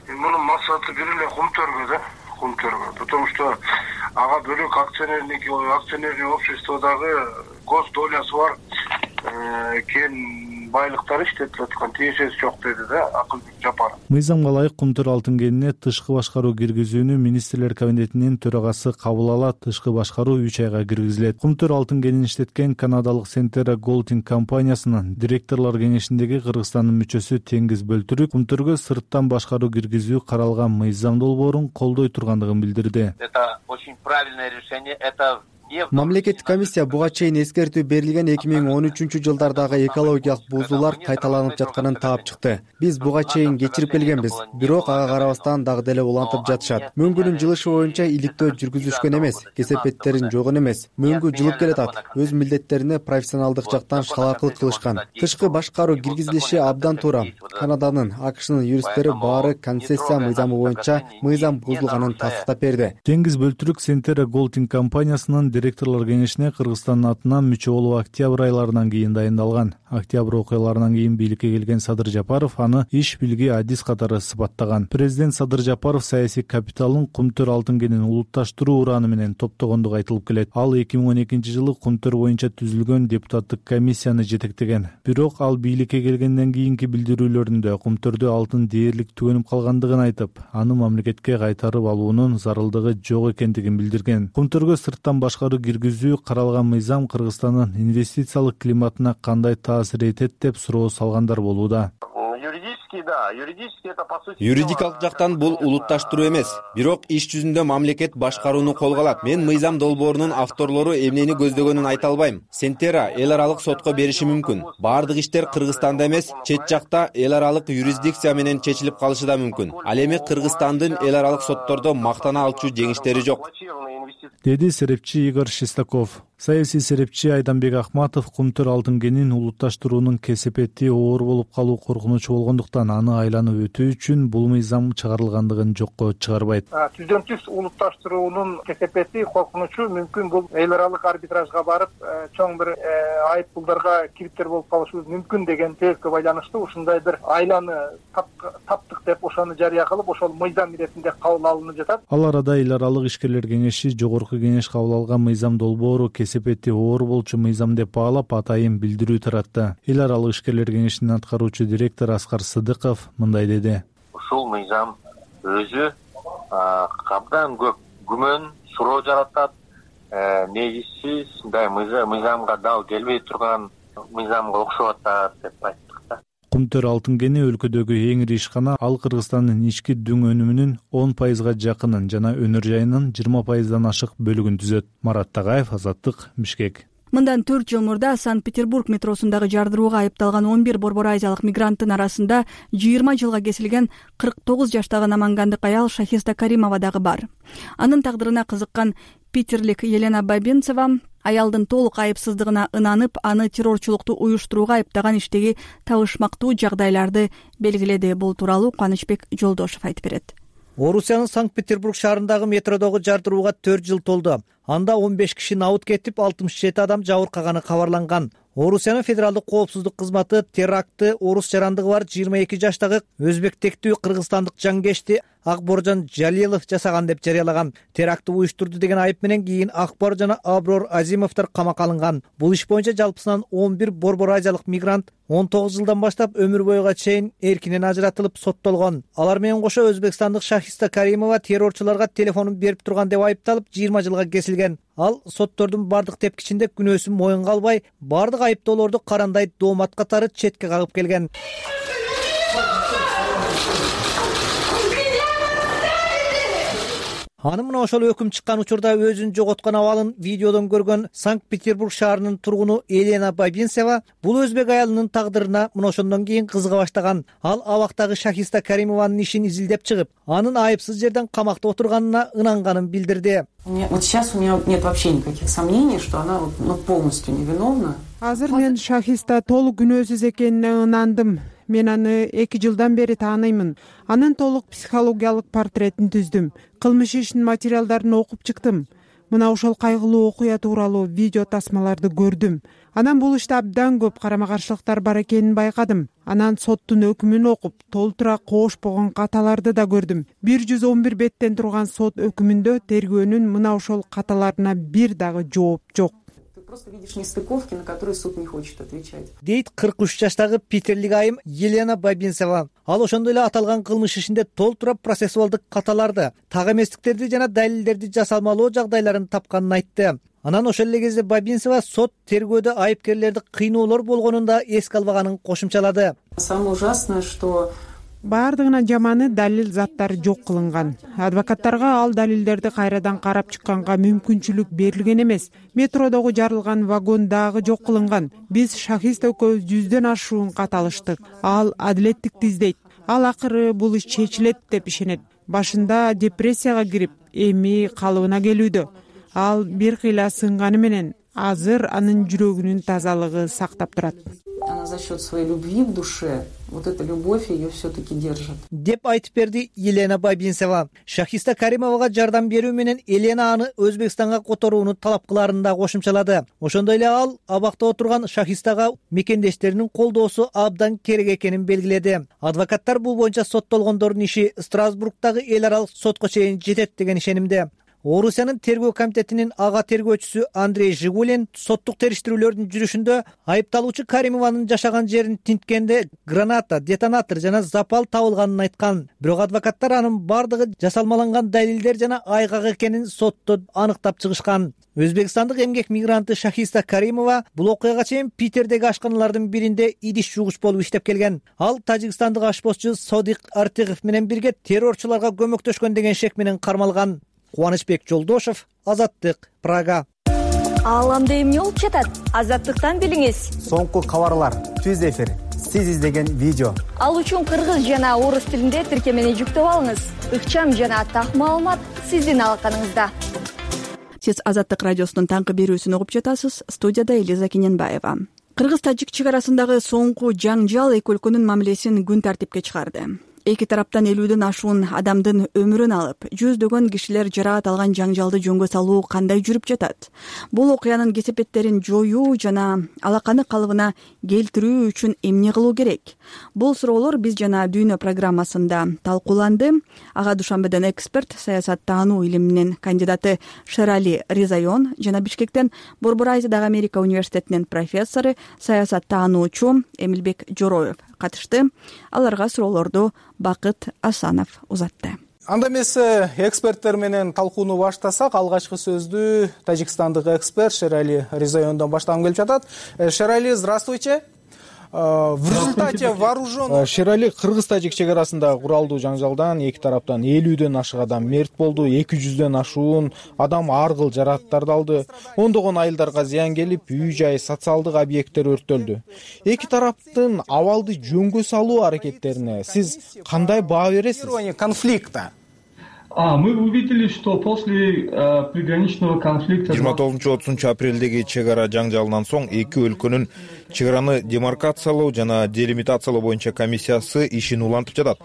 Мунун максаты бир эле Кумтөргө да, Кумтөргө. Потому что ага бөлөк акционерник акционерный обществодагы гос долясы бар кен байлыктар иштетип аткан, тиешеси жок деди да Акылбек Жапаров. Мыйзамга ылайык Кумтөр алтын кенине тышкы башкаруу киргизүүнү министрлер кабинетинин төрагасы кабыл алат. Тышкы башкаруу үч айга киргизилет. Кумтөр алтын кенин иштеткен канадалык Сентера Голдинг компаниясынын директорлор кеңешиндеги Кыргызстандын мүчөсү Теңиз Бөлтүрүк Кумтөргө сырттан башкаруу киргизүү каралган мыйзам долбоорун колдой тургандыгын билдирди. Это очень правильное решение. Это Мамлекеттик комиссия буга чейин эскертүү берилген эки миң он үчүнчү жылдардагы экологиялык бузуулар кайталанып жатканын таап чыкты. Биз буга чейин кечирип келгенбиз, бирок ага карабастан дагы деле улантып жатышат. Мөңгүнүн жылышы боюнча иликтөө жүргүзүшкөн эмес, кесепеттерин жогон эмес. Мөңгү жылып келатат. Өз милдеттерине профессионалдык жактан шалаакылык кылышкан. Тышкы башкаруу киргизилиши абдан туура. Канаданын, АКШнын юристтери баары концессия мыйзамы боюнча мыйзам бузулганын тастыктап берди. Теңиз Бөлтүрүк Сентера Голдинг компаниясынын директорлор кеңешине Кыргызстандын атынан мүчө болуп октябрь айларынан кийин дайындалган. Октябрь окуяларынан кийин бийликке келген Садыр Жапаров аны иш билги адис катары сыпаттаган. Президент Садыр Жапаров саясий капиталын Кумтөр алтын кенин улутташтыруу ураны менен топтогондугу айтылып келет. Ал эки миң он экинчи жылы Кумтөр боюнча түзүлгөн депутаттык комиссияны жетектеген. Бирок ал бийликке келгенден кийинки билдирүүлөрүндө Кумтөрдө алтын дээрлик түгөнүп калгандыгын айтып, аны мамлекетке кайтарып алуунун зарылдыгы жок экендигин билдирген. Кумтөргө сырттан башкаруу киргизүү каралган мыйзам Кыргызстандын инвестициялык климатына кандай таасир этет деп суроо салгандар болууда. Юридикалык жактан бул улутташтыруу эмес, бирок иш жүзүндө мамлекет башкарууну колго алат. Мен мыйзам долбоорунун авторлору эмнени көздөгөнүн айта албайм. Сентера эл аралык сотко бериши мүмкүн. Баардык иштер Кыргызстанда эмес, чет жакта эл аралык юрисдикция менен чечилип калышы да мүмкүн. Ал эми Кыргызстандын эл аралык соттордо мактана алчу жеңиштери жок, деди серепчи Игорь Шестаков. Саясий серепчи Айданбек Ахматов Кумтөр алтын кенин улутташтыруунун кесепети оор болуп калуу коркунучу болгондуктан аны айланып өтүү үчүн бул мыйзам чыгарылгандыгын жокко чыгарбайт. Түздөн түз улутташтыруунун кесепети коркунучу мүмкүн бул эл аралык арбитражга барып чоң бир айып пулдарга кириптер болуп калышыбыз мүмкүн деген себепке байланыштуу ушундай бир айланы таптык деп ошону жарыя кылып ошол мыйзам иретинде кабыл алынып жатат. Ал арада эл аралык ишкерлер кеңеши жогорку кеңеш кабыл алган мыйзам долбоору кесепети оор болчу мыйзам деп баалап атайын билдирүү таратты. Эл аралык ишкерлер кеңешинин аткаруучу директору Аскар Сыдыков мындай деди. Ушул мыйзам өзү абдан көп күмөн, суроо жаратат. Негизсиз мындай мыйзамга дал келбей турган мыйзамга окшоп атат деп айттык да. Кумтөр алтын кени өлкөдөгү эң ири ишкана. Ал Кыргызстандын ички дүң өнүмүнүн он пайызга жакынын жана өнөр жайынын жыйырма пайыздан ашык бөлүгүн түзөт. Марат Тагаев, Азаттык, Бишкек. Мындан төрт жыл мурда Санкт-Петербург метросундагы жардырууга айыпталган он бир борбор азиялык мигранттын арасында жыйырма жылга кесилген кырк тогуз жаштагы намангандык аял Шахиста Каримова дагы бар. Анын тагдырына кызыккан питерлик Елена Бабинцева аялдын толук айыпсыздыгына ынанып, аны террорчулукту уюштурууга айыптаган иштеги табышмактуу жагдайларды белгиледи. Бул тууралуу Кубанычбек Жолдошев айтып берет. Орусиянын Санкт-Петербург шаарындагы метродогу жардырууга төрт жыл толду. Анда он беш киши набыт кетип, алтымыш жети адам жабыркаганы кабарланган. Орусиянын федералдык коопсуздук кызматы терактты орус жарандыгы бар жыйырма эки жаштагы өзбек тектүү кыргызстандык жангешти Акборжон Жалилов жасаган деп жарыялаган. Терактты уюштурду деген айып менен кийин Акбор жана Аброр Азимовдор камакка алынган. Бул иш боюнча жалпысынан он бир борбор азиялык мигрант он тогуз жылдан баштап өмүр бойга чейин эркинен ажыратылып соттолгон. Алар менен кошо өзбекстандык Шахиста Каримова террорчуларга телефонун берип турган деп айыпталып жыйырма жылга кесилген. Ал соттордун бардык тепкичинде күнөөсүн моюнга албай, бардык айыптоолорду карандай доомат катары четке кагып келген. Аны мына ошол өкүм чыккан учурда өзүн жоготкон абалын видеодон көргөн Санкт-Петербург шаарынын тургуну Елена Бабинцева бул өзбек аялынын тагдырына мына ошондон кийин кызыга баштаган. Ал абактагы Шахиста Каримованын ишин изилдеп чыгып, анын айыпсыз жерден камакта отурганына ынанганын билдирди. Вот сейчас у меня нет вообще никаких сомнений, что она ну, полностью невиновна. Азыр мен Шахиста толук күнөөсүз экенине ынандым. Мен аны эки жылдан бери тааныймын. Анын толук психологиялык портретин түздүм. Кылмыш ишинин материалдарын окуп чыктым. Мына ошол кайгылуу окуя тууралуу видео тасмаларды көрдүм. Анан бул иште абдан көп карама каршылыктар бар экенин байкадым. Анан соттун өкүмүн окуп, толтура коошпогон каталарды да көрдүм. бир жүз он бир беттен турган сот өкүмүндө тергөөнүн мына ошол каталарына бир дагы жооп жок. Просто видишь нестыковки, на которые суд не хочет отвечать. Дейт кырк үч жаштагы питерлик айым Елена Бабинцева. Ал ошондой эле аталган кылмыш ишинде толтура процессуалдык каталарды, так эместиктерди жана далилдерди жасалмалоо жагдайларын тапканын айтты. Анан ошол эле кезде Бабинцева сот тергөөдө айыпкерлерди кыйноолор болгонун да эске албаганын кошумчалады. Самое ужасное, что баардыгына жаманы далил заттары жок кылынган. Адвокаттарга ал далилдерди кайрадан карап чыкканга мүмкүнчүлүк берилген эмес. Метродогу жарылган вагон дагы жок кылынган. Биз Шахист экөөбүз жүздөн ашуун кат алыштык. Ал адилеттикти издейт. Ал акыры бул иш чечилет деп ишенет. Башында депрессияга кирип, эми калыбына келүүдө. Ал бир кыйла сынганы менен азыр анын жүрөгүнүн тазалыгы сактап турат. Она за счет своей любви в душе, вот эта любовь ее все-таки держит. Деп айтып берди Елена Бабинцева. Шахиста Каримовага жардам берүү менен Елена аны Өзбекстанга которууну талап кыларын да кошумчалады. Ошондой эле ал абакта отурган Шахистага мекендештеринин колдоосу абдан керек экенин белгиледи. Адвокаттар бул боюнча соттолгондордун иши Страсбургдагы эл аралык сотко чейин жетет деген ишенимде. Орусиянын тергөө комитетинин ага тергөөчүсү Андрей Жигулин соттук териштирүүлөрдүн жүрүшүндө айыпталуучу Каримованын жашаган жерин тинткенде граната, детонатор жана запал табылганын айткан. Бирок адвокаттар анын бардыгы жасалмаланган далилдер жана айгак экенин сотто аныктап чыгышкан. Өзбекстандык эмгек мигранты Шахиста Каримова бул окуяга чейин Питердеги ашканалардын биринде идиш жугуч болуп иштеп келген. Ал тажикстандык ашпозчу Содик Артыгов менен бирге террорчуларга көмөктөшкөн деген шек менен кармалган. Кубанычбек Жолдошев, Азаттык, Прага. Ааламда эмне болуп жатат? Азаттыктан билиңиз. Соңку кабарлар, түз эфир, сиз издеген видео. Ал үчүн кыргыз жана орус тилинде тиркемени жүктөп алыңыз. Ыкчам жана так маалымат сиздин алаканыңызда. Сиз Азаттык радиосунун таңкы берүүсүн угуп жатасыз. Студияда Элиза Кененбаева. Кыргыз-тажик чек арасындагы соңку жаңжал эки өлкөнүн мамилесин күн тартипке чыгарды. Эки тараптан элүүдөн ашуун адамдын өмүрүн алып, жүздөгөн кишилер жараат алган жаңжалды жөнгө салуу кандай жүрүп жатат? Бул окуянын кесепеттерин жоюу жана алаканы калыбына келтирүү үчүн эмне кылуу керек? Бул суроолор биз жана Дүйнө программасында талкууланды. Ага Душанбеден эксперт, саясаттануу илиминин кандидаты Шерали Ризайон жана Бишкектен Борбор Азиядагы Америка университетинин профессору, саясаттануучу Эмилбек Жороев катышты. Аларга суроолорду Бакыт Асанов узатты. Анда эмесе эксперттер менен талкууну баштасак, алгачкы сөздү тажикстандык эксперт Шерали Ризайондон баштагым келип жатат. Шерали, здравствуйте. В результате вооруженных... Шерали, кыргыз-тажик чек арасындагы куралдуу жаңжалдан эки тараптан элүүдөн ашык адам мерт болду, эки жүздөн ашуун адам ар кыл жарааттарды алды, ондогон айылдарга зыян келип, үй жай, социалдык объекттер өрттөлдү. Эки тараптын абалды жөнгө салуу аракеттерине сиз кандай баа бересиз? Конфликта. А, мы увидели, что после э, приграничного конфликта... жыйырма тогузунчу отузунчу апрелдеги чек ара жаңжалынан соң эки өлкөнүн чек араны демаркациялоо жана делимитациялоо боюнча комиссиясы ишин улантып жатат.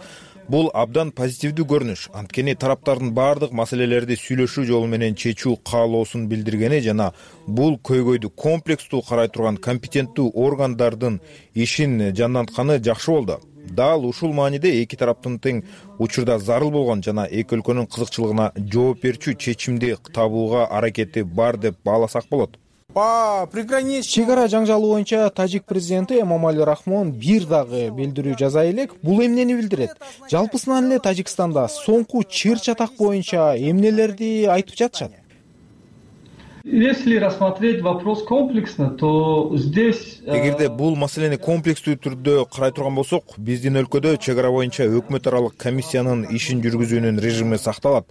Бул абдан позитивдүү көрүнүш. Анткени тараптардын баардык маселелерди сүйлөшүү жолу менен чечүү каалоосун билдиргени жана бул көйгөйдү комплекстүү карай турган компетенттүү органдардын ишин жандантканы жакшы болду. Дал ушул мааниде эки тараптын тең учурда зарыл болгон жана эки өлкөнүн кызыкчылыгына жооп берчү чечимди табууга аракети бар деп бааласак болот. По приграничный чек ара жаңжалы боюнча тажик президенти Эмомали Рахмон бир дагы билдирүү жаза элек. Бул эмнени билдирет? Жалпысынан эле Тажикстанда соңку чыр чатак боюнча эмнелерди айтып жатышат? Если рассмотреть вопрос комплексно, то здесь... Эгерде бул маселени комплекстүү түрдө карай турган болсок, биздин өлкөдө чек ара боюнча өкмөт аралык комиссиянын ишин жүргүзүүнүн режими сакталат.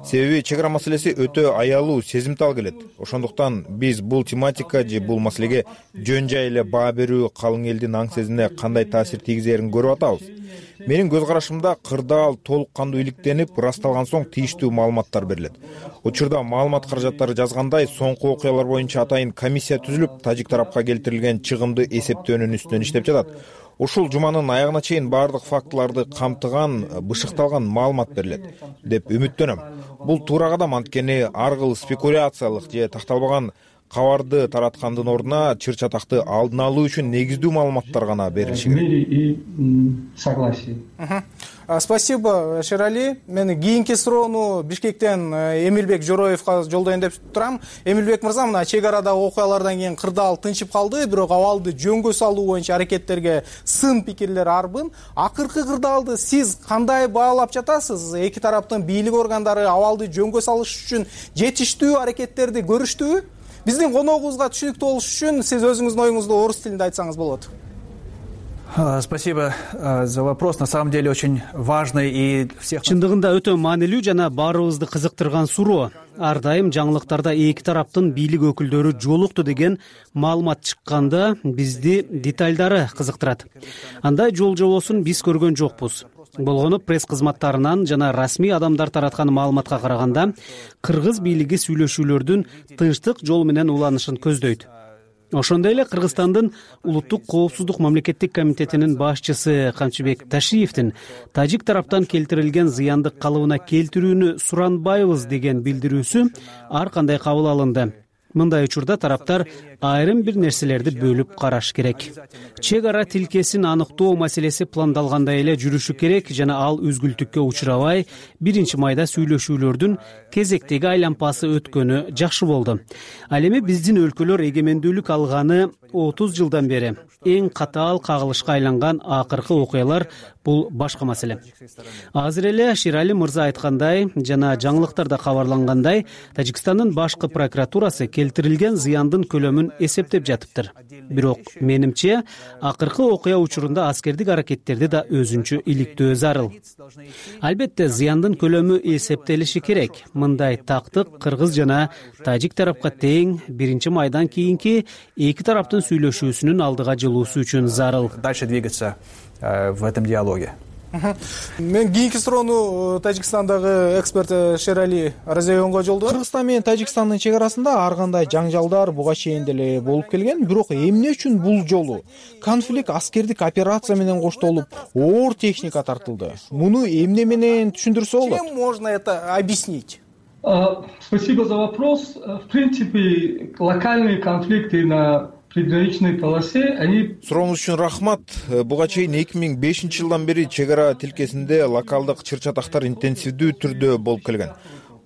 Себеби чек ара маселеси өтө аялуу, сезимтал келет. Ошондуктан биз бул тематика же бул маселеге жөн жай эле баа берүү калың элдин аң сезимине кандай таасир тийгизерин көрүп атабыз. Менин көз карашымда кырдаал толук кандуу иликтенип, ырасталган соң тийиштүү маалыматтар берилет. Учурда маалымат каражаттары жазгандай, соңку окуялар боюнча атайын комиссия түзүлүп, тажик тарапка келтирилген чыгымды эсептөөнүн үстүнөн иштеп жатат. Ушул жуманын аягына чейин баардык фактыларды камтыган, бышыкталган маалымат берилет деп үмүттөнөм. Бул туура кадам, анткени ар кыл спекуляциялык же такталбаган кабарды тараткандын ордуна чыр чатакты алдын алуу үчүн негиздүү маалыматтар гана берилиши керек. И согласие. Спасибо, Шерали. Мен кийинки суроону Бишкектен Эмилбек Жороевго жолдоюн деп турам. Эмилбек мырза, мына чек арадагы окуялардан кийин кырдаал тынчып калды, бирок абалды жөнгө салуу боюнча аракеттерге сын пикирлер арбын. Акыркы кырдаалды сиз кандай баалап жатасыз? Эки тараптын бийлик органдары абалды жөнгө салыш үчүн жетиштүү аракеттерди көрүштүбү? Биздин коногубузга түшүнүктүү болуш үчүн сиз өзүңүздүн оюңузду орус тилинде айтсаңыз болот. Спасибо за вопрос. На самом деле очень важный и всех. Чындыгында өтө маанилүү жана баарыбызды кызыктырган суроо. Ар дайым жаңылыктарда эки тараптын бийлик өкүлдөрү жолукту деген маалымат чыкканда бизди детальдары кызыктырат. Андай жол жобосун биз көргөн жокпуз. Болгону пресс кызматтарынан жана расмий адамдар тараткан маалыматка караганда кыргыз бийлиги сүйлөшүүлөрдүн тынчтык жол менен уланышын көздөйт. Ошондой эле Кыргызстандын улуттук коопсуздук мамлекеттик комитетинин башчысы Камчыбек Ташиевдин тажик тараптан келтирилген зыянды калыбына келтирүүнү суранбайбыз деген билдирүүсү ар кандай кабыл алынды. Мындай учурда тараптар айрым бир нерселерди бөлүп караш керек. Чек ара тилкесин аныктоо маселеси пландалгандай эле жүрүшү керек жана ал үзгүлтүккө учурабай биринчи майда сүйлөшүүлөрдүн кезектеги айлампасы өткөнү жакшы болду. Ал эми биздин өлкөлөр эгемендүүлүк алганы отуз жылдан бери эң катаал кагылышка айланган акыркы окуялар бул башка маселе. Азыр эле Шерали мырза айткандай жана жаңылыктарда кабарлангандай, Тажикстандын башкы прокуратурасы келтирилген зыяндын көлөмүн эсептеп жатыптыр. Бирок менимче акыркы окуя учурунда аскердик аракеттерди да өзүнчө иликтөө зарыл. Албетте зыяндын көлөмү эсептелиши керек. Мындай тактык кыргыз жана тажик тарапка тең биринчи майдан кийинки эки тараптын сүйлөшүүсүнүн алдыга жылуусу үчүн зарыл. Дальше двигаться в этом диалоге. Мен кийинки суроону Тажикстандагы эксперт Шерали Ризайонго жолдойм. Кыргызстан менен Тажикстандын чек арасында ар кандай жаңжалдар буга чейин деле болуп келген, бирок эмне үчүн бул жолу конфликт аскердик операция менен коштолуп, оор техника тартылды? Муну эмне менен түшүндүрсө болот? Чем можно это объяснить? Спасибо за вопрос. В принципе, локальные конфликты на приграничной полосе, они... Сурооңуз үчүн рахмат. Буга чейин эки миң бешинчи жылдан бери чек ара тилкесинде локалдык чыр чатактар интенсивдүү түрдө болуп келген.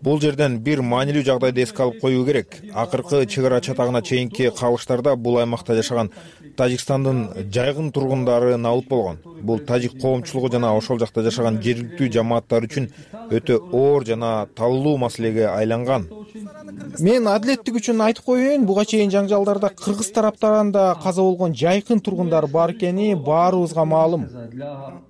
Бул жерден бир маанилүү жагдайды эске алып коюу керек. Акыркы чек ара чатагына чейинки кабылыштарда бул аймакта жашаган Тажикстандын жайгын тургундары набыт болгон. Бул тажик коомчулугу жана ошол жакта жашаган жергиликтүү жамааттар үчүн өтө оор жана талуу маселеге айланган. Мен адилеттик үчүн айтып коеюн, буга чейин жаңжалдарда кыргыз тараптарынан да каза болгон жайкын тургундар бар экени баарыбызга маалым.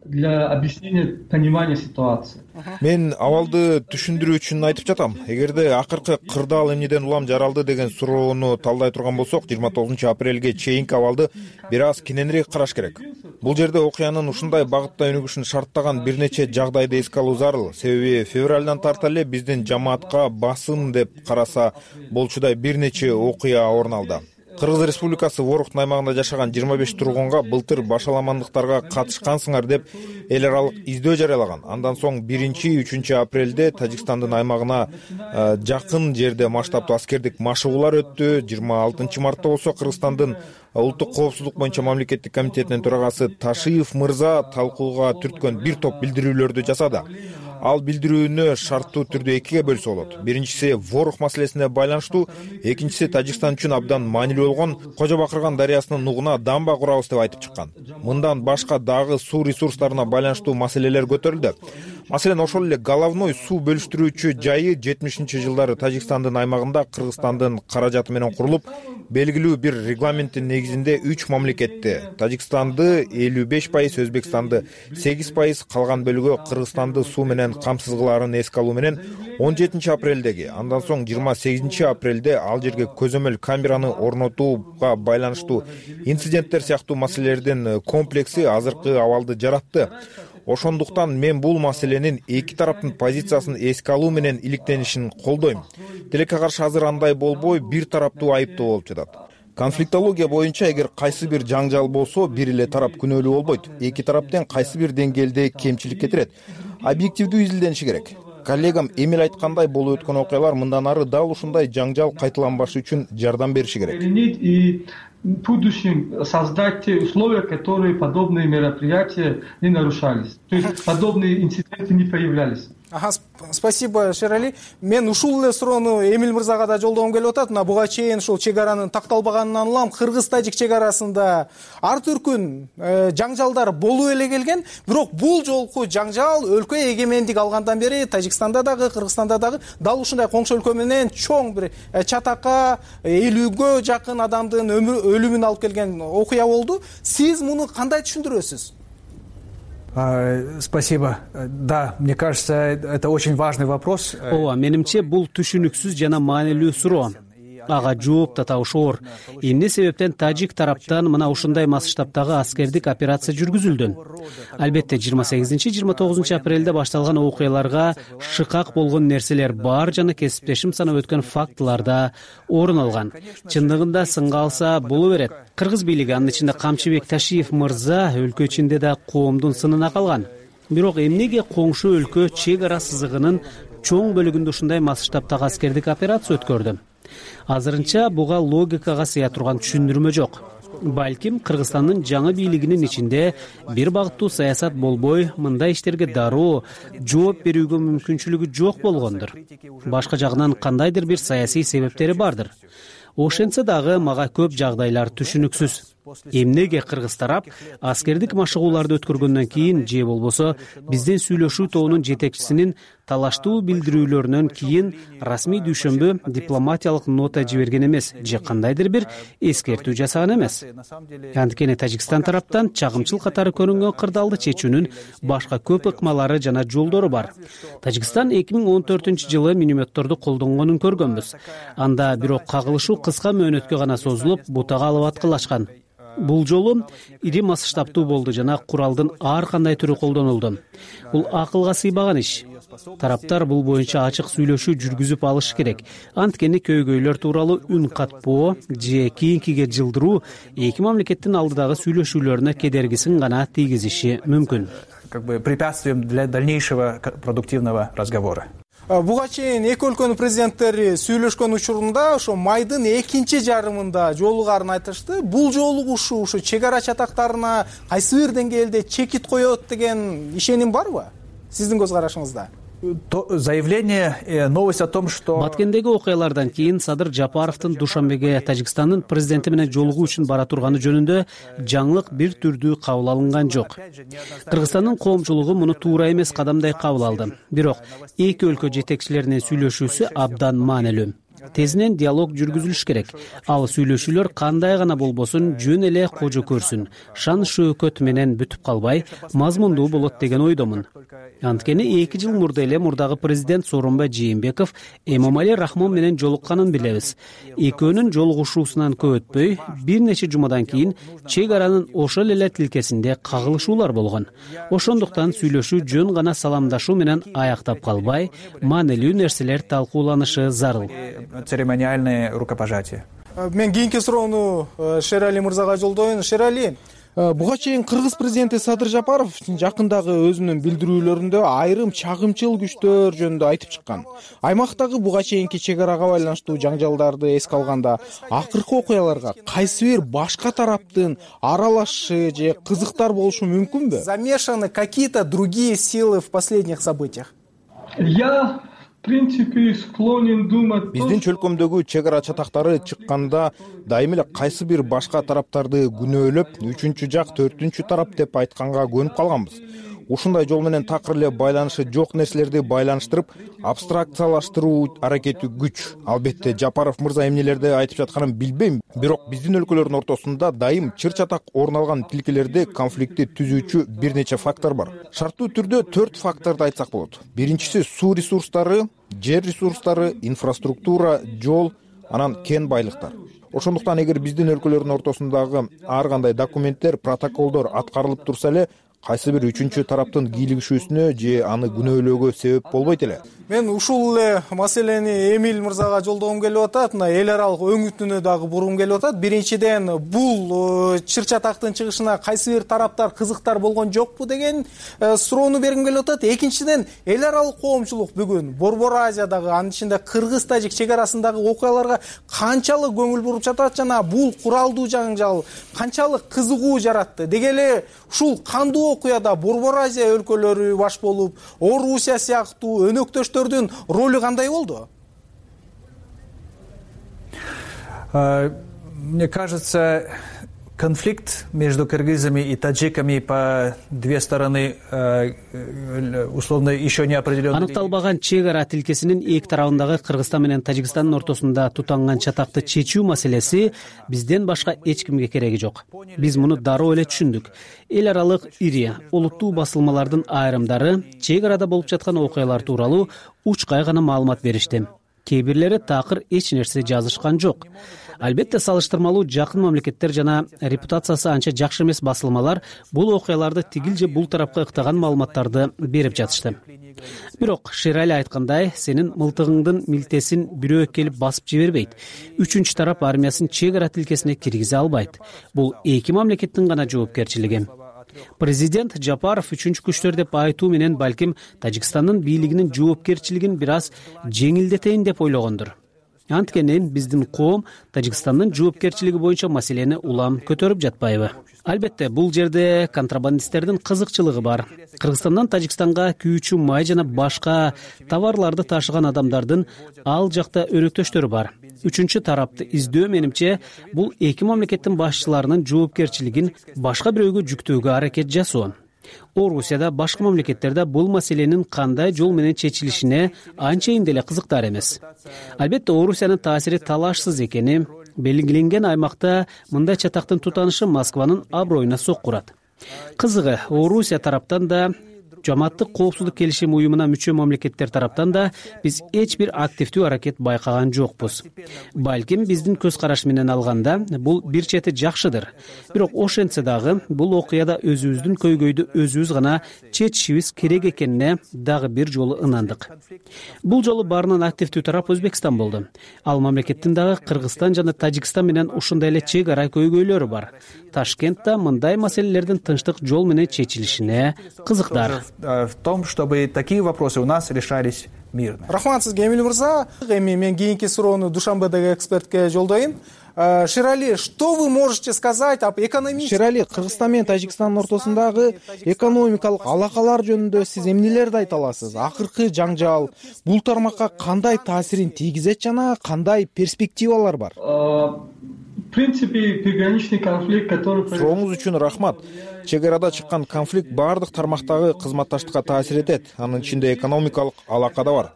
Для объяснения понимания ситуации. Мен абалды түшүндүрүү үчүн айтып жатам. Эгерде акыркы кырдаал эмнеден улам жаралды деген суроону талдай турган болсок, жыйырма тогузунчу апрелге чейинки абалды бир аз кененирээк караш керек. Бул жерде окуянын ушундай багытта өнүгүшүн шарттаган бир нече жагдайды эске алуу зарыл. Себеби февралдан тарта эле биздин жамаатка басым деп караса болчудай бир нече окуя орун алды. Кыргыз Республикасы Ворохтун аймагында жашаган жыйырма беш тургунга былтыр башаламандыктарга катышкансыңар деп эл аралык издөө жарыялаган. Андан соң биринчи үчүнчү апрелде Тажикстандын аймагына жакын жерде масштабтуу аскердик машыгуулар өттү. жыйырма алтынчы мартта болсо Кыргызстандын улуттук коопсуздук боюнча мамлекеттик комитетинин төрагасы Ташиев мырза талкууга түрткөн бир топ билдирүүлөрдү жасады. Ал билдирүүнү шарттуу түрдө экиге бөлсө болот. Биринчиси Ворох маселесине байланыштуу, экинчиси Тажикстан үчүн абдан маанилүү болгон Кожо Бакырган дарыясынын нугуна дамба курабыз деп айтып чыккан. Мындан башка дагы суу ресурстарына байланыштуу маселелер көтөрүлдү. Маселен, ошол эле головной суу бөлүштүрүүчү жайы жетимишинчи жылдары Тажикстандын аймагында Кыргызстандын каражаты менен курулуп, белгилүү бир регламенттин негизинде үч мамлекетти Тажикстанды элүү беш пайыз, Өзбекстанды сегиз пайыз, калган бөлүгү Кыргызстанды суу менен камсыз кылаарын эске алуу менен он жетинчи апрелдеги, андан соң жыйырма сегизинчи апрелде ал жерге көзөмөл камераны орнотууга байланыштуу инциденттер сыяктуу маселелердин комплекси азыркы абалды жаратты. Ошондуктан мен бул маселенин эки тараптын позициясын эске алуу менен иликтенишин колдойм. Тилекке каршы азыр андай болбой, бир тараптуу айыптоо болуп жатат. Конфликтология боюнча эгер кайсы бир жаңжал болсо, бир эле тарап күнөөлүү болбойт. Эки тарап тең кайсы бир деңгээлде кемчилик кетирет. Объективдүү изилдениши керек. коллегам эмил айткандай болуп өткөн окуялар мындан ары дал ушундай жаңжал кайталанбашы үчүн жардам бериши керек. И в будущем создать те условия, которые подобные мероприятия не нарушались. То есть подобные инциденты не появлялись. Ага, спасибо, Шерали. Мен ушул эле суроону Эмил мырзага да жолдогум келип атат. Мына буга чейин ушул чек аранын такталбаганынан улам кыргыз-тажик чек арасында ар түркүн э, жаңжалдар болуп эле келген. Бирок бул жолку жаңжал өлкө эгемендик алгандан бери Тажикстанда дагы, Кыргызстанда дагы дал ушундай коңшу өлкө менен чоң бир э, чатакка элүүгө жакын адамдын өлүмүн алып келген окуя болду. Сиз муну кандай түшүндүрөсүз? Спасибо. Да, мне кажется, это очень важный вопрос. Ооба, менимче бул түшүнүксүз жана маанилүү суроо. Ага жооп да табыш оор. Эмне себептен тажик тараптан мына ушундай масштабтагы аскердик операция жүргүзүлдү? Албетте жыйырма сегизинчи жыйырма тогузунчу апрелде башталган окуяларга шыкак болгон нерселер бар жана кесиптешим санап өткөн фактыларда орун алган. Чындыгында сынга алса боло берет. Кыргыз бийлиги, анын ичинде Камчыбек Ташиев мырза өлкө ичинде да коомдун сынына калган. Бирок эмнеге коңшу өлкө чек ара сызыгынын чоң бөлүгүндө ушундай масштабтагы аскердик операция өткөрдү? Азырынча буга логикага сыя турган түшүндүрмө жок. Балким Кыргызстандын жаңы бийлигинин ичинде бир багыттуу саясат болбой, мындай иштерге дароо жооп берүүгө мүмкүнчүлүгү жок болгондур. Башка жагынан кандайдыр бир саясий себептери бардыр. Ошентсе дагы мага көп жагдайлар түшүнүксүз. Эмнеге кыргыз тарап аскердик машыгууларды өткөргөндөн кийин же болбосо биздин сүйлөшүү тобунун жетекчисинин талаштуу билдирүүлөрүнөн кийин расмий дүйшөмбү дипломатиялык нота жиберген эмес же кандайдыр бир эскертүү жасаган эмес. Анткени Тажикстан тараптан чагымчыл катары көрүнгөн кырдаалды чечүүнүн башка көп ыкмалары жана жолдору бар. Тажикстан эки миң он төртүнчү жылы минометторду колдонгонун көргөнбүз. Анда бирок кагылышуу кыска мөөнөткө гана созулуп, бутага алып аткылашкан. Бул жолу ири масштабтуу болду жана куралдын ар кандай түрү колдонулду. Бул акылга сыйбаган иш. Тараптар бул боюнча ачык сүйлөшүү жүргүзүп алышы керек. Анткени көйгөйлөр тууралуу үн катпоо же кийинкиге жылдыруу эки мамлекеттин алдыдагы сүйлөшүүлөрүнө кедергисин гана тийгизиши мүмкүн. Как бы препятствием для дальнейшего продуктивного разговора. Буга чейин эки өлкөнүн президенттери сүйлөшкөн учурунда ошо майдын экинчи жарымында жолугарын айтышты. Бул жолугушуу ушу чек ара чатактарына кайсы бир деңгээлде чекит коет деген ишеним барбы? Сиздин көз карашыңызда? Заявление, новость о том, что Баткендеги окуялардан кийин Садыр Жапаровдун Душанбеге Тажикстандын президенти менен жолугуу үчүн бара турганы жөнүндө жаңылык бир түрдүү кабыл алынган жок. Кыргызстандын коомчулугу муну туура эмес кадамдай кабыл алды. Бирок эки өлкө жетекчилеринин сүйлөшүүсү абдан маанилүү. Тезинен диалог жүргүзүлүш керек. Ал сүйлөшүүлөр кандай гана болбосун жөн эле кожо көрсүн, шан шөөкөт менен бүтүп калбай, мазмундуу болот деген ойдомун. Анткени эки жыл мурда эле мурдагы президент Сооронбай Жээнбеков Эмомали Рахмон менен жолукканын билебиз. Экөөнүн жолугушуусунан көп өтпөй, бир нече жумадан кийин чек аранын ошол эле тилкесинде кагылышуулар болгон. Ошондуктан сүйлөшүү жөн гана саламдашуу менен аяктап калбай, маанилүү нерселер талкууланышы зарыл. Церемониальное рукопожатие. Мен кийинки суроону Шерали мырзага жолдоюн. Шерали, буга чейин Кыргыз президенти Садыр Жапаров жакындагы өзүнүн билдирүүлөрүндө айрым чагымчыл күчтөр жөнүндө айтып чыккан. Аймактагы буга чейинки чек арага байланыштуу жаңжалдарды эске алганда, акыркы окуяларга кайсы бир башка тараптын аралашышы же кызыктар болушу мүмкүнбү? Замешаны какие-то другие силы в последних событиях? Я в принципе склонен думать. Биздин чөлкөмдөгү чек ара чатактары чыкканда дайым эле кайсы бир башка тараптарды күнөөлөп, үчүнчү жак, төртүнчү тарап деп айтканга көнүп калганбыз. Ушундай жол менен такыр эле байланышы жок нерселерди байланыштырып, абстракциялаштыруу аракети күч. Албетте Жапаров мырза эмнелерди айтып жатканын билбейм, бирок биздин өлкөлөрдүн ортосунда дайым чыр-чатак орун алган тилкелерде конфликтти түзүүчү бир нече фактор бар. Шарттуу түрдө төрт факторду айтсак болот. Биринчиси суу ресурстары, жер ресурстары, инфраструктура, жол, анан кен байлыктар. Ошондуктан эгер биздин өлкөлөрдүн ортосундагы ар кандай документтер, протоколдор аткарылып турса эле, кайсы бир үчүнчү тараптын кийлигишүүсүнө же аны күнөөлөөгө себеп болбойт эле. Мен ушул эле маселени Эмиль мырзага жолдогум келип атат. Мына эл аралык өңүтүнө дагы бургум келип атат. Биринчиден, бул чыр чатактын чыгышына кайсы бир тараптар кызыктар болгон жокпу деген суроону бергим келип атат. Экинчиден, эл аралык коомчулук бүгүн Борбор Азиядагы, анын ичинде Кыргыз-Тажик чек арасындагы окуяларга канчалык көңүл буруп жатат жана бул куралдуу жаңжал канчалык кызыгуу жаратты. Деги эле ушул кандуу окуяда Борбор Азия өлкөлөрү баш болуп, Орусия сыяктуу өнөктөштөрдүн ролу кандай болду? Мне кажется, конфликт между кыргызами и таджиками по две стороны условно еще не определенный. Аныкталбаган чек ара тилкесинин эки тарабындагы Кыргызстан менен Тажикстандын ортосунда тутанган чатакты чечүү маселеси бизден башка эч кимге кереги жок. Биз муну дароо эле түшүндүк. Эл аралык ири олуттуу басылмалардын айрымдары чек арада болуп жаткан окуялар тууралуу учкай гана маалымат беришти. Кээ бирлери такыр эч нерсе жазышкан жок. Албетте салыштырмалуу жакын мамлекеттер жана репутациясы анча жакшы эмес басылмалар бул окуяларды тигил же бул тарапка ыктаган маалыматтарды берип жатышты. Бирок Шерали айткандай, сенин мылтыгыңдын милтесин бирөө келип басып жибербейт. Үчүнчү тарап армиясын чек ара тилкесине киргизе албайт. Бул эки мамлекеттин гана жоопкерчилиги. Президент Жапаров үчүнчү күчтөр деп айтуу менен балким Тажикстандын бийлигинин жоопкерчилигин бир аз жеңилдетейин деп ойлогондур. Анткени биздин коом Тажикстандын жоопкерчилиги боюнча маселени улам көтөрүп жатпайбы? Албетте, бул жерде контрабандисттердин кызыкчылыгы бар. Кыргызстандан Тажикстанга күйүүчү май жана башка товарларды ташыган адамдардын ал жакта өнөктөштөрү бар. Үчүнчү тарапты издөө менимче бул эки мамлекеттин башчыларынын жоопкерчилигин башка бирөөгө жүктөөгө аракет жасоо. Орусияда башка мамлекеттерде бул маселенин кандай жол менен чечилишине анчейин деле кызыктар эмес. Албетте, Орусиянын таасири талашсыз экени белгиленген аймакта мындай чатактын тутанышы Москванын аброюна соккурат. Кызыгы, Орусия тараптан да Жамааттык коопсуздук келишим уюмуна мүчө мамлекеттер тараптан да биз эч бир активдүү аракет байкаган жокпуз. Балким биздин көз караш менен алганда бул бир чети жакшыдыр. Бирок ошентсе дагы бул окуяда өзүбүздүн көйгөйдү өзүбүз гана чечишибиз керек экенине дагы бир жолу ынандык. Бул жолу баарынан активдүү тарап Өзбекстан болду. Ал мамлекеттин дагы Кыргызстан жана Тажикстан менен ушундай эле чек ара көйгөйлөрү бар. Ташкентте мындай маселелердин тынчтык жол менен чечилишине кызыктар. В том, чтобы такие вопросы у нас решались мирно. Рахмат сизге, Эмиль мырза. Эми мен кийинки суроону Душанбедеги экспертке жолдойм. Шерали, что вы можете сказать об экономии? Шерали, Кыргызстан менен Тажикстандын ортосундагы экономикалык алакалар жөнүндө сиз эмнелерди айта аласыз? Акыркы жаңжал бул тармакка кандай таасирин тийгизет жана кандай перспективалар бар? В принципе, приграничный конфликт, который... Сурооңуз үчүн рахмат. Чек арада чыккан конфликт баардык тармактагы кызматташтыкка таасир этет. Анын ичинде экономикалык алака да бар.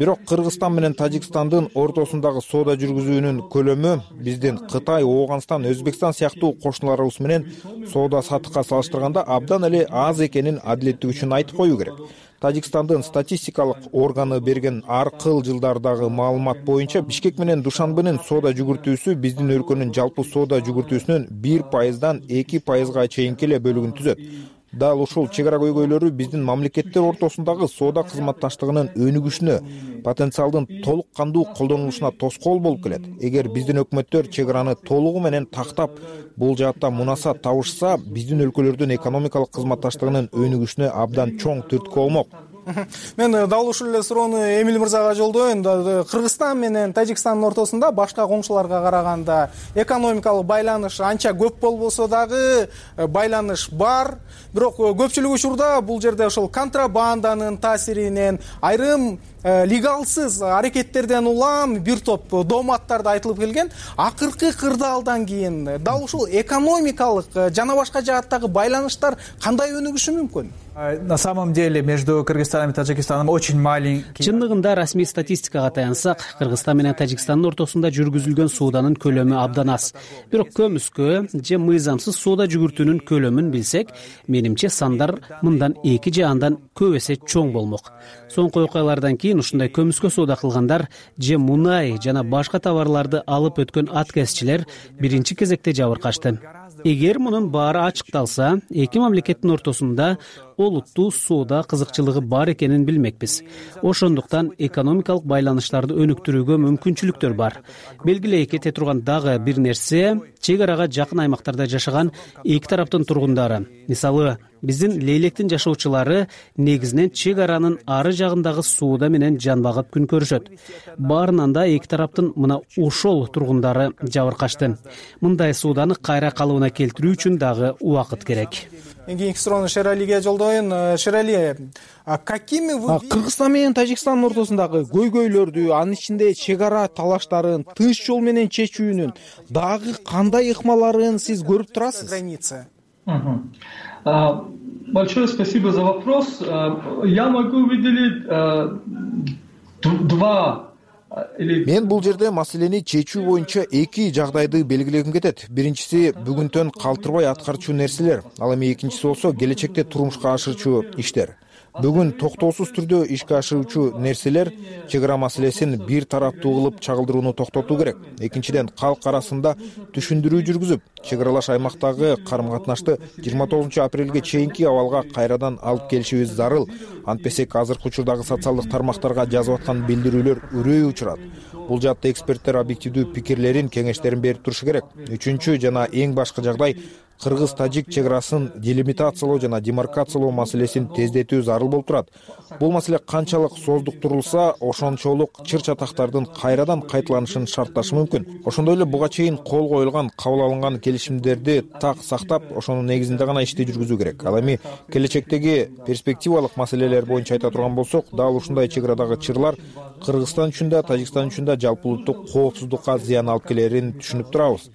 Бирок Кыргызстан менен Тажикстандын ортосундагы соода жүргүзүүнүн көлөмү биздин Кытай, Ооганстан, Өзбекстан сыяктуу кошуналарыбыз менен соода саттыкка салыштырганда абдан эле аз экенин адилеттик үчүн айтып коюу керек. Тажикстандын статистикалык органы берген аркыл жылдардагы маалымат боюнча Бишкек менен Душанбенин соода жүгүртүүсү биздин өлкөнүн жалпы соода жүгүртүүсүнүн бир пайыздан эки пайызга чейинки эле бөлүгүн түзөт. Дал ушул чек ара көйгөйлөрү биздин мамлекеттер ортосундагы соода кызматташтыгынын өнүгүшүнө, потенциалдын толук кандуу колдонулушуна тоскоол болуп келет. Эгер биздин өкмөттөр чек араны толугу менен тактап, бул жаатта мунасаат табышса, биздин өлкөлөрдүн экономикалык кызматташтыгынын өнүгүшүнө абдан чоң түрткү болмок. Мен дал ушул эле суроону Эмиль мырзага жолдойм. Кыргызстан менен Тажикстандын ортосунда башка коңшуларга караганда экономикалык байланыш анча көп болбосо дагы байланыш бар. Бирок көпчүлүк учурда бул жерде ошол контрабанданын таасиринен, айрым легалсыз аракеттерден улам бир топ дооматтарды айтылып келген. Акыркы кырдаалдан кийин дал ушул экономикалык жана башка жааттагы байланыштар кандай өнүгүшү мүмкүн? На самом деле между Кыргызстаном и Таджикистаном очень маленький. Чындыгында расмий статистикага таянсак, Кыргызстан менен Тажикстандын ортосунда жүргүзүлгөн сооданын көлөмү абдан аз. Бирок көмүскө же мыйзамсыз соода жүгүртүүнүн көлөмүн билсек, менимче сандар мындан эки же андан көп эсе чоң болмок. Соңку окуялардан кийин ушундай көмүскө соода кылгандар же мунай жана башка товарларды алып өткөн аткезчилер биринчи кезекте жабыркашты. эгер мунун баары ачыкталса, эки мамлекеттин ортосунда олуттуу соода кызыкчылыгы бар экенин билмекпиз. Ошондуктан экономикалык байланыштарды өнүктүрүүгө мүмкүнчүлүктөр бар. Белгилей кете турган дагы бир нерсе — чек арага жакын аймактарда жашаган эки тараптын тургундары. Мисалы, биздин Лейлектин жашоочулары негизинен чек аранын ары жагындагы соода менен жан багып күн көрүшөт. Баарынан да эки тараптын мына ошол тургундары жабыркашты. Мындай сооданы кайра калыбына келтирүү үчүн дагы убакыт керек. Эң кийинки суроону Шералиге жолдоюн. Шерали, какими вы Кыргызстан менен Тажикстандын ортосундагы көйгөйлөрдү, анын ичинде чек ара талаштарын тынч жол менен чечүүнүн дагы кандай ыкмаларын сиз көрүп турасыз? Граница. Большое спасибо за вопрос. Я могу выделить два. Мен бул жерде маселени чечүү боюнча эки жагдайды белгилегим кетет. Биринчиси бүгүнтөн калтырбай аткарчу нерселер, ал эми экинчиси болсо келечекте турмушка ашырчу иштер. Бүгүн токтоосуз түрдө ишке ашырчу нерселер чек ара маселесин бир тараптуу кылып чагылдырууну токтотуу керек. Экинчиден, калк арасында түшүндүрүү жүргүзүп, чек аралаш аймактагы карым-катнашты жыйырма тогузунчу апрелге чейинки абалга кайрадан алып келишибиз зарыл. Антпесек азыркы учурдагы социалдык тармактарга жазып аткан билдирүүлөр үрөй учурат. Бул жаатта эксперттер объективдүү пикирлерин, кеңештерин берип турушу керек. Үчүнчү жана эң башкы жагдай кыргыз-тажик чек арасын делимитациялоо жана демаркациялоо маселесин тездетүү зарыл болуп турат. Бул маселе канчалык сооздуктурулса, ошончолук чыр-чатактардын кайрадан кайталанышын шартташы мүмкүн. Ошондой эле буга чейин кол коюлган, кабыл алынган келишимдерди так сактап, ошонун негизинде гана ишти жүргүзүү керек. Ал эми келечектеги перспективалык маселелер боюнча айта турган болсок, дал ушундай чек арадагы чырлар Кыргызстан үчүн да, Тажикстан үчүн да жалпы улуттук коопсуздукка зыян алып келерин түшүнүп турабыз.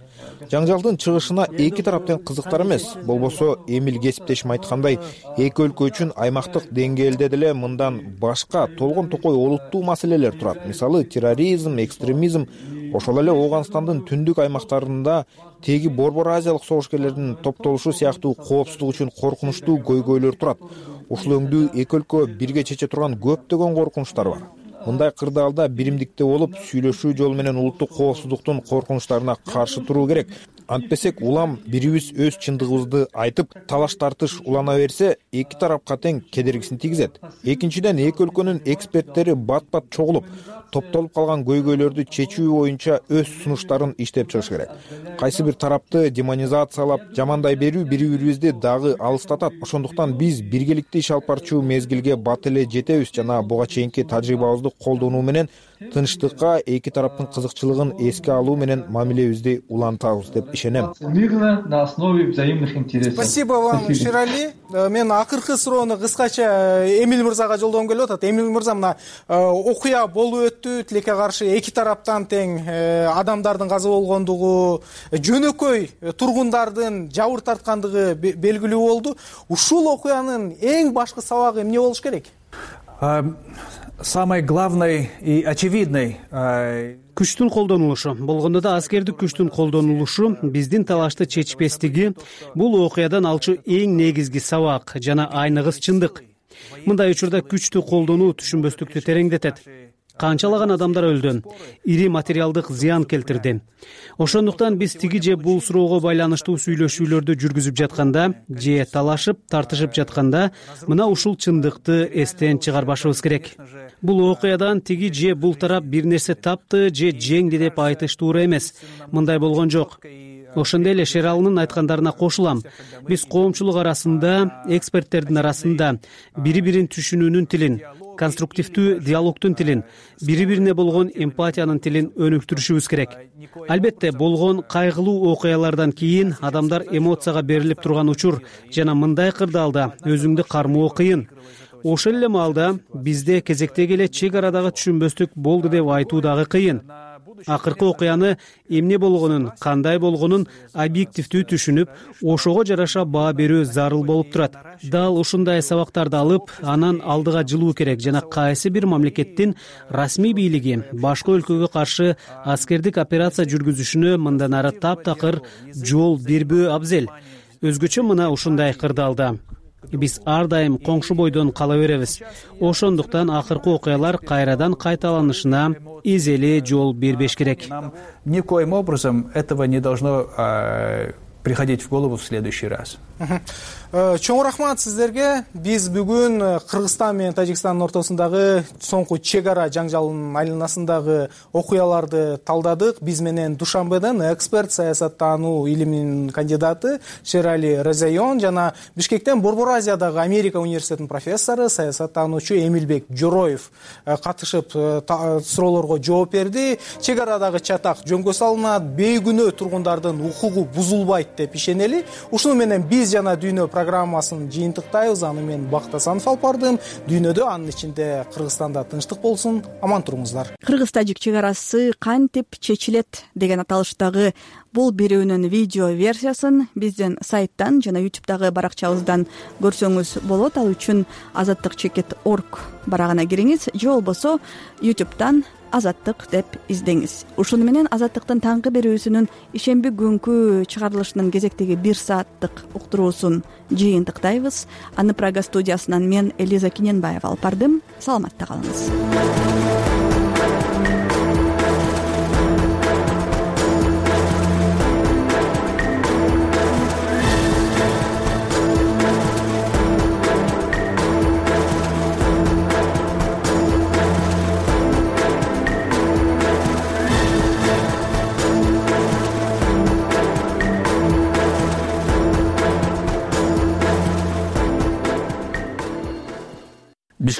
Жаңжалдын чыгышына эки тарап тең кызыктар эмес. Болбосо, Эмил кесиптешим айткандай, эки өлкө үчүн аймактык деңгээлде деле мындан башка толгон токой олуттуу маселелер турат. Мисалы, терроризм, экстремизм, ошол эле Ооганстандын түндүк аймактарында теги Борбор Азиялык согушкерлердин топтолушу сыяктуу коопсуздук үчүн коркунучтуу көйгөйлөр турат. Ушул өңдүү эки өлкө бирге чече турган көптөгөн коркунучтар бар. Мындай кырдаалда биримдикте болуп, сүйлөшүү жолу менен улуттук коопсуздуктун коркунучтарына каршы туруу керек. Антпесек улам бирибиз өз чындыгыбызды айтып, талаш тартыш улана берсе, эки тарапка тең кедергисин тийгизет. Экинчиден, эки өлкөнүн эксперттери бат-бат чогулуп, топтолуп калган көйгөйлөрдү чечүү боюнча өз сунуштарын иштеп чыгыш керек. Кайсы бир тарапты демонизациялап, жамандай берүү бири-бирибизди дагы алыстатат. Ошондуктан биз биргеликте иш алып барчу мезгилге бат эле жетебиз жана буга чейинки тажрыйбабызды колдонуу менен тынчтыкка, эки тараптын кызыкчылыгын эске алуу менен мамилебизди улантабыз деп ишенем. Мирно на основе взаимных интересов. Спасибо вам, Шерали. Мен акыркы суроону кыскача Эмил мырзага жолдогум келип атат. Эмил мырза, мына окуя болуп өттү, тилекке каршы эки тараптан тең адамдардын каза болгондугу, жөнөкөй тургундардын жабыр тарткандыгы белгилүү болду. Ушул окуянын эң башкы сабагы эмне болуш керек? Самой главной и очевидной күчтүн колдонулушу, болгондо да аскердик күчтүн колдонулушу, биздин талашты чечпестиги бул окуядан алчу эң негизги сабак жана айныгыс чындык. Мындай учурда күчтү колдонуу түшүнбөстүктү тереңдетет. Канчалаган адамдар өлдү, ири материалдык зыян келтирди. Ошондуктан биз тиги же бул суроого байланыштуу сүйлөшүүлөрдү жүргүзүп жатканда же талашып, тартышып жатканда мына ушул чындыкты эстен чыгарбашыбыз керек. Бул окуядан тиги же бул тарап бир нерсе тапты же жеңди деп айтыш туура эмес. Мындай болгон жок. Ошондой эле Шералынын айткандарына кошулам. Биз коомчулук арасында, эксперттердин арасында бири-бирин түшүнүүнүн тилин, конструктивдүү диалогтун тилин, бири-бирине болгон эмпатиянын тилин өнүктүрүшүбүз керек. Албетте, болгон кайгылуу окуялардан кийин адамдар эмоцияга берилип турган учур жана мындай кырдаалда өзүңдү кармоо кыйын. Ошол эле маалда бизде кезектеги эле чек арадагы түшүнбөстүк болду деп айтуу дагы кыйын. Акыркы окуяны эмне болгонун, кандай болгонун объективдүү түшүнүп, ошого жараша баа берүү зарыл болуп турат. Дал ушундай сабактарды алып, анан алдыга жылуу керек жана кайсы бир мамлекеттин расмий бийлиги башка өлкөгө каршы аскердик операция жүргүзүшүнө мындан ары таптакыр жол бербөө абзел. Өзгөчө мына ушундай кырдаалда биз ар дайым коңшу бойдон кала беребиз. Ошондуктан акыркы окуялар кайрадан кайталанышына эзели жол бербеш керек. Никоим образом этого не должно приходить в голову в следующий раз. Чоң рахмат сиздерге. Биз бүгүн Кыргызстан менен Тажикстандын ортосундагы соңку чек ара жаңжалынын айланасындагы окуяларды талдадык. Биз менен Душанбеден эксперт, саясаттануу илиминин кандидаты Шерали Резайон жана Бишкектен Борбор Азиядагы Америка университетинин профессору, саясаттануучу Эмилбек Жороев катышып суроолорго жооп берди. Чек арадагы чатак жөнгө салынат, бейгүнөө тургундардын укугу бузулбайт деп ишенели. Ушуну менен биз жана дүйнө программасын жыйынтыктайбыз. Аны мен Бакыт Асанов алып бардым. Дүйнөдө, анын ичинде Кыргызстанда тынчтык болсун. Аман туруңуздар. Кыргыз-тажик чек арасы кантип чечилет деген аталыштагы бул берүүнүн видео версиясын биздин сайттан жана ютубтагы баракчабыздан көрсөңүз болот. Ал үчүн азаттык чекит точка орг барагына кириңиз же болбосо ютубтан Азаттык деп издеңиз. Ушуну менен Азаттыктын таңкы берүүсүнүн ишемби күнкү чыгарылышынын кезектеги бир сааттык уктуруусун жыйынтыктайбыз. Аны Прага студиясынан мен Элиза Киненбаева алып бардым. Саламатта калыңыз.